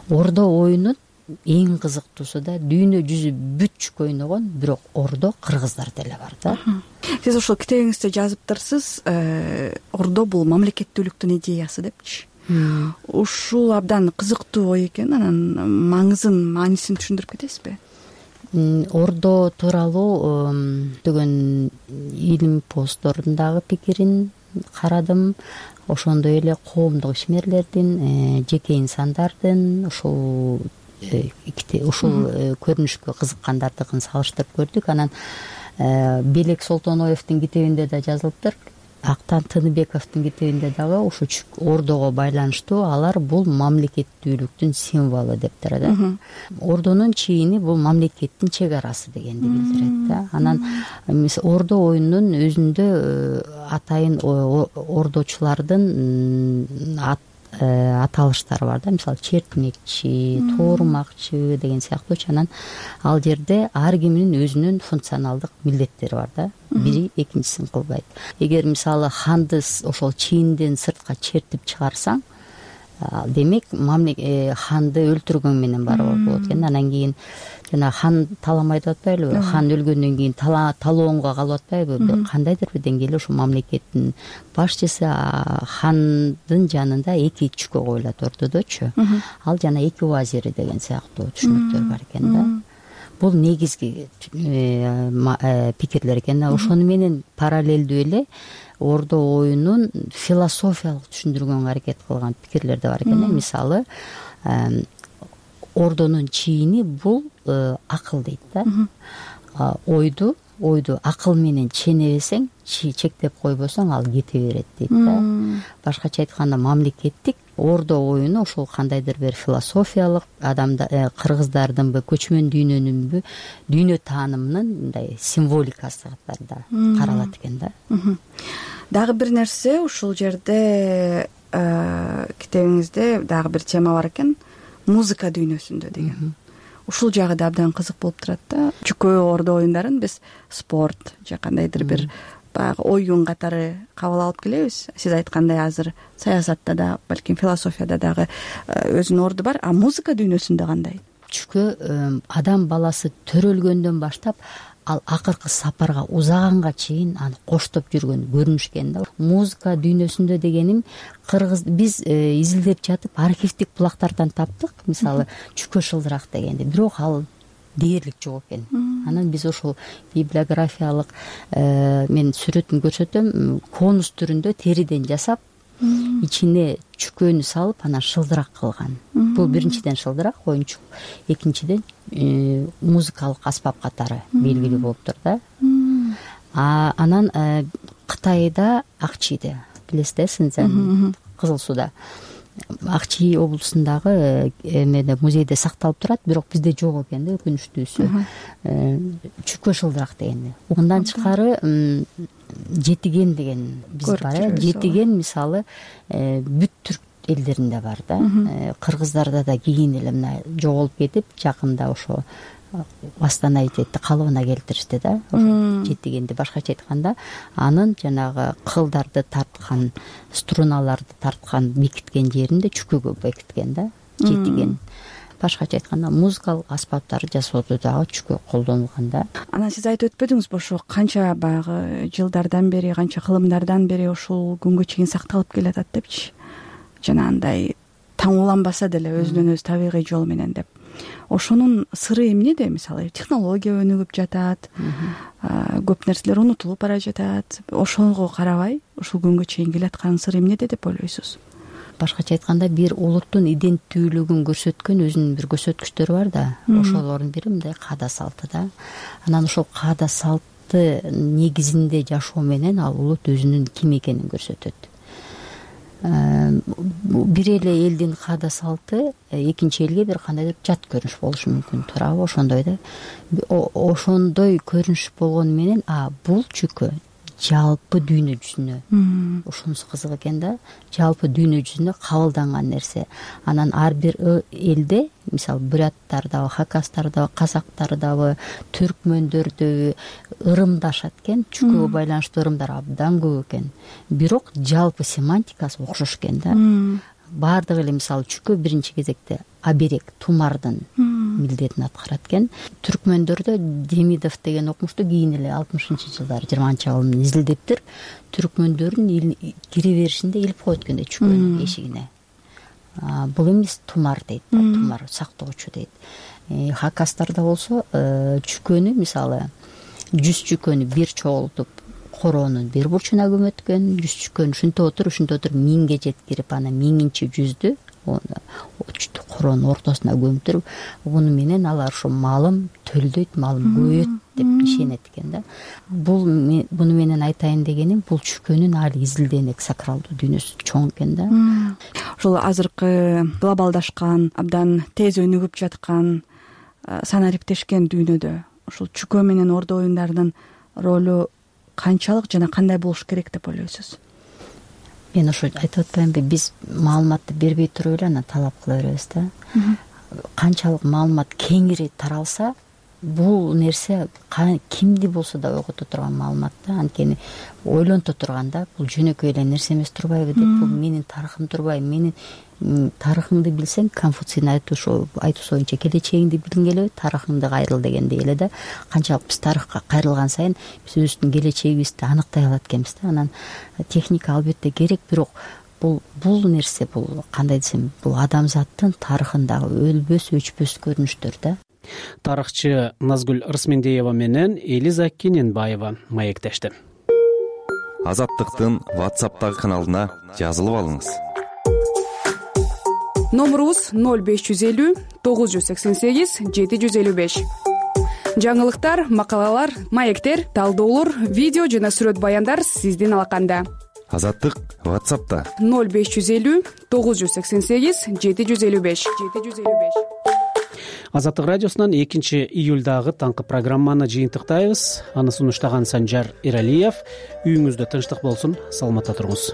Ордо оюнун эң кызыктуусу да дүйнө жүзү бүт чүкө ойногон, бирок ордо кыргыздарда эле бар да. Сиз ошол китебиңизде жазыптырсыз, ордо бул мамлекеттүүлүктүн идеясы депчи. Ушул абдан кызыктуу ой экен. Анан маанисин түшүндүрүп кетесизби? Ордо тууралуу деген илим посттордун дагы пикирин карадым. Ошондой эле коомдук ишмерлердин, жеке инсандардын ушул көрүнүшкө кызыккандардыкын салыштырып көрдүк. Анан Белек Солтоноевдин китебинде да жазылыптыр. Актан Тыныбековдун китебинде дагы ушу ордого байланыштуу алар бул мамлекеттүүлүктүн символу дептир да. Ордонун чийини бул мамлекеттин чек арасы дегенди билдирет да. Анан ордо оюнунун өзүндө атайын ордочулардын аталыштары бар да. Мисалы чертмекчи, тоорумакчы деген сыяктуучу. Анан ал жерде ар кимдин өзүнүн функционалдык милдеттери бар да. Бири экинчисин кылбайт. Эгер мисалы ханды ошол чийинден сыртка чертип чыгарсаң, демек ханды өлтүргөн менен барып болот экен. Анан кийин жана хан таламай деп атпайлыбы? Хан өлгөндөн кийин талоонго калып атпайбы? Кандайдыр бир деңгээлде ошо мамлекеттин башчысы хандын жанында 2 чүкө коюлат ортодочу. Ал жана 2 вазири деген сыяктуу түшүнүктөр бар экен да. бул негизги пикирлер экен. Ошону менен параллелдүү эле Ордо оюнун философиялык түшүндүргөнгө аракет кылган пикирлер да бар экен. Мисалы, Ордонун чийини бул акыл дейт да. Ойду акыл менен ченебесең, чектеп койбосоң, ал кете берет дейт да. Башкача айтканда, мамлекеттик Ордо оюну ошол кандайдыр бир философиялык, кыргыздардынбы, көчмөн дүйнөнүнбү, дүйнө таанымынын мындай символикасы катарында каралат экен да. Дагы бир нерсе, ушул жерде китебиңизде дагы бир тема бар экен, музыка дүйнөсүндө деген. Ушул жагы да абдан кызык болуп турат да. Чүкө Ордо оюндарын биз спорт же кандайдыр бир баягы оюн катары кабыл алып келебиз. Сиз айткандай, азыр саясатта да, балким философияда дагы өзүнүн орду бар. А музыка дүйнөсүндө кандай? Чүкө адам баласы төрөлгөндөн баштап ал акыркы сапарга узаганга чейин аны коштоп жүргөн көрүнүшкен да. Музыка дүйнөсүндө дегеним, биз изилдеп жатып архивдик булактардан таптык. Мисалы, Чүкө шылдырак дегенде, бирок ал дээрлик жок экен. Анан биз ошол библиографиялык мен сүрөтүн көрсөтөм, конус түрүндө териден жасап, ичине чүкөнү салып, анан шылдырак кылган. Бул биринчиден шылдырак, оюнчук, экинчиден музыкалык аспап катары белгилүү болуптур да. Анан Кытайда Акчиде, билесиз, Синьцзян, Кызыл Сууда, Акчи облусундагы эмеде, музейде сакталып турат, бирок бизде жок экен да, өкүнүчтүүсү. Чүкө шылдырак дегенди. Мындан тышкары жетиген деген биз бар. Жетиген мисалы бүт түрк элдеринде бар да. Кыргыздарда да кийин эле мына жоголуп кетип, жакында ошо восстановительди калыбына келтиришти да. Ошо жетигенди, башкача айтканда, анын жанагы кылдарды тарткан, струналарды тарткан, бекиткен жеринде чүкөгө бекиткен да, жетиген. Башкача айтканда, музыкалык аспаптарды жасоодо дагы чүкө колдонулган да. Анан сиз айтып өтпөдүңүзбү, ошо канча баягы жылдардан бери, канча кылымдардан бери ушул күнгө чейин сакталып келатат депчи. Жанагындай таң уланбаса деле өзүнөн өзү табигый жол менен деп. Ошонун сыры эмнеде? Мисалы, технология өнүгүп жатат, көп нерселер унутулуп бара жатат. Ошого карабай, ушул күнгө чейин келаткан сыры эмнеде деп ойлойсуз? Башкача айтканда, бир улуттун иденттүүлүгүн көрсөткөн өзүнүн бир көрсөткүчтөрү бар да. Ошолордун бири мындай каада салты да. Анан ошол каада салты негизинде жашоо менен ал улут өзүнүн ким экенин көрсөтөт. Бир эле элдин каада салты экинчи элге бир кандайдыр жат көрүнүш болушу мүмкүн, туурабы? Ошондой да. Ошондой көрүнүш болгону менен, бул чүкө жалпы дүйнө жүзүнө, ушунусу кызык экен да, жалпы дүйнө жүзүнө кабылданган нерсе. Анан ар бир элде, мисалы, буряттардабы, хакастардабы, казактардабы, түркмөндөрдөбү ырымдашат экен, чүкөгө байланыштуу ырымдар абдан көп экен. Бирок жалпы семантикасы окшош экен да. Баардыгы эле, мисалы, чүкө биринчи кезекте аберег, тумардын милдетин аткарат экен. Түркмөндөрдө Демидов деген окумушту кийин эле 60-жылдары 20-жылдын изилдептир. Түркмөндөрдүн кире беришинде илип коет экен чүкөнүн эшигине. Бул эмес, тумар дейт, тумар сактоочу дейт. Хакастарда болсо чүкөнү, мисалы, 100 чүкөнү бир чогултуп короонун бир бурчуна көмөткөн, 100 чүкөнү ушинте отуруп 1000ге жеткирип, анан 1000-чи жүздү короонун ортосуна көмүтүрүп, муну менен алар ошо малым төлдөйт, малым көбөйөт деп ишенет экен да. Буну менен айтайын дегеним, бул чүкөнүн али изилденек сакралдуу дүйнөсү чоң экен да. Ошол азыркы глобалдашкан, абдан тез өнүгүп жаткан, санариптешкен дүйнөдө ушул чүкө менен Ордо оюндарынын ролу канчалык жана кандай болуш керек деп ойлойсуз? Мен ошо айтып атпаймынбы, биз маалыматты бербей туруп эле анан талап кыла беребиз да. Канчалык маалымат кеңири таралса, бул нерсе кимди болсо да ойгото турган маалымат да. Анткени ойлонто турганда, бул жөнөкөй эле нерсе эмес турбайбы деп, бул менин тарыхым турбайбы, менин тарыхыңды билсең, Конфуцийдин айтуусу боюнча келечегиңди билгиң келеби, тарыхыңды кайрыл дегендей эле да. Канчалык биз тарыхка кайрылган сайын биз өзүбүздүн келечегибизди аныктай алат экенбиз да. Анан техника албетте керек, бирок бул нерсе, бул кандай десем, бул адамзаттын тарыхындагы өлбөс, өчпөс көрүнүштөр да. Тарыхчы Назгүл Ырсмендиева менен Элиза Кененбаева маектешти. Азаттыктын WhatsApp'тагы каналына жазылып алыңыз. Номерубуз 0550 988 755. Жаңылыктар, макалалар, маектер, талдоолор, видео жана сүрөт баяндар сиздин алаканда. Азаттык WhatsApp'та 0550 988 755. Азаттык радиосунан 2-июлдагы таңкы программаны жыйынтыктайбыз. Аны сунуштаган Санжар Иралиев. Үйүңүздө тынчтык болсун, саламатта туруңуз.